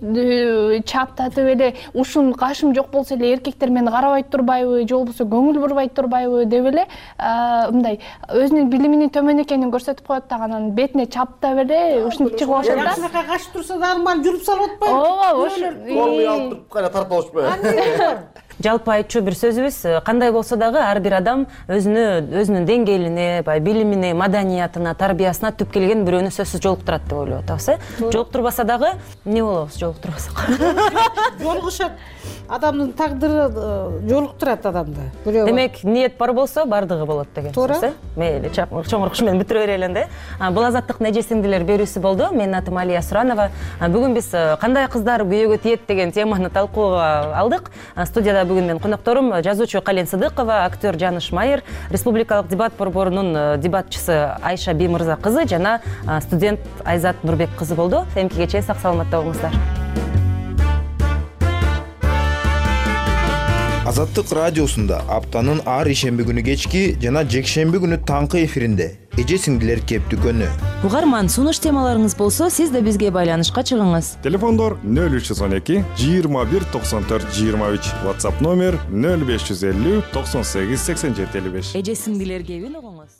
чаптатып эле ушун кашым жок болсо эле эркектер мени карабайт турбайбы, же болбосо көңүл бурбайт турбайбы деп эле мындай өзүнүн билиминин төмөн экенин көрсөтүп коет да, анан бетине чаптап эле ушинтип чыгып алышат да. Жакшынакай качып турса дагы мал жүрүп салып атпайбы? Ооба, ошо форму алып туруп кайра тартып алышпайбы? Жалпы айтчу бир сөзүбүз, кандай болсо дагы ар бир адам өзүнө, өзүнүн деңгээлине, баягы билимине, маданиятына, тарбиясына түп келген бирөөнү сөзсүз жолуктурат деп ойлоп атабыз, э? Жолуктурбаса дагы эмне болобуз жолуктурбасак? Жолугушат. Адамдын тагдыры жолуктурат адамды. Демек, ниет бар болсо бардыгы болот деген сөз, э? Мейли, чоңурук менен бүтүрө берели да. Бул азаттыктын эже сиңдилер берүүсү болду. Менин атым Алия Суранова. Бүгүн биз кандай кыздар күйөөгө тиет деген теманы талкууга алдык. Студияда бүгүн менин конокторум жазуучу Кален Сыдыкова, актер Жаныш Майыр, республикалык дебат борборунун дебатчысы Айша Бимырза кызы жана студент Айзат Нурбек кызы болду. Эмкигече сак саламатта болуңуздар. Азаттык радиосунда аптанын ар ишемби күнү кечки жана жекшемби күнү таңкы эфиринде эже сиңдилер кеп дүкөнү. Угарман, сунуш темаларыңыз болсо, сиз да бизге байланышка чыгыңыз. Телефондор нөл үч жүз он эки жыйырма бир токсон төрт жыйырма үч, WhatsApp номер нөл беш жүз элүү токсон сегиз сексен жети элүү беш. Эже сиңдилер кебин угуңуз.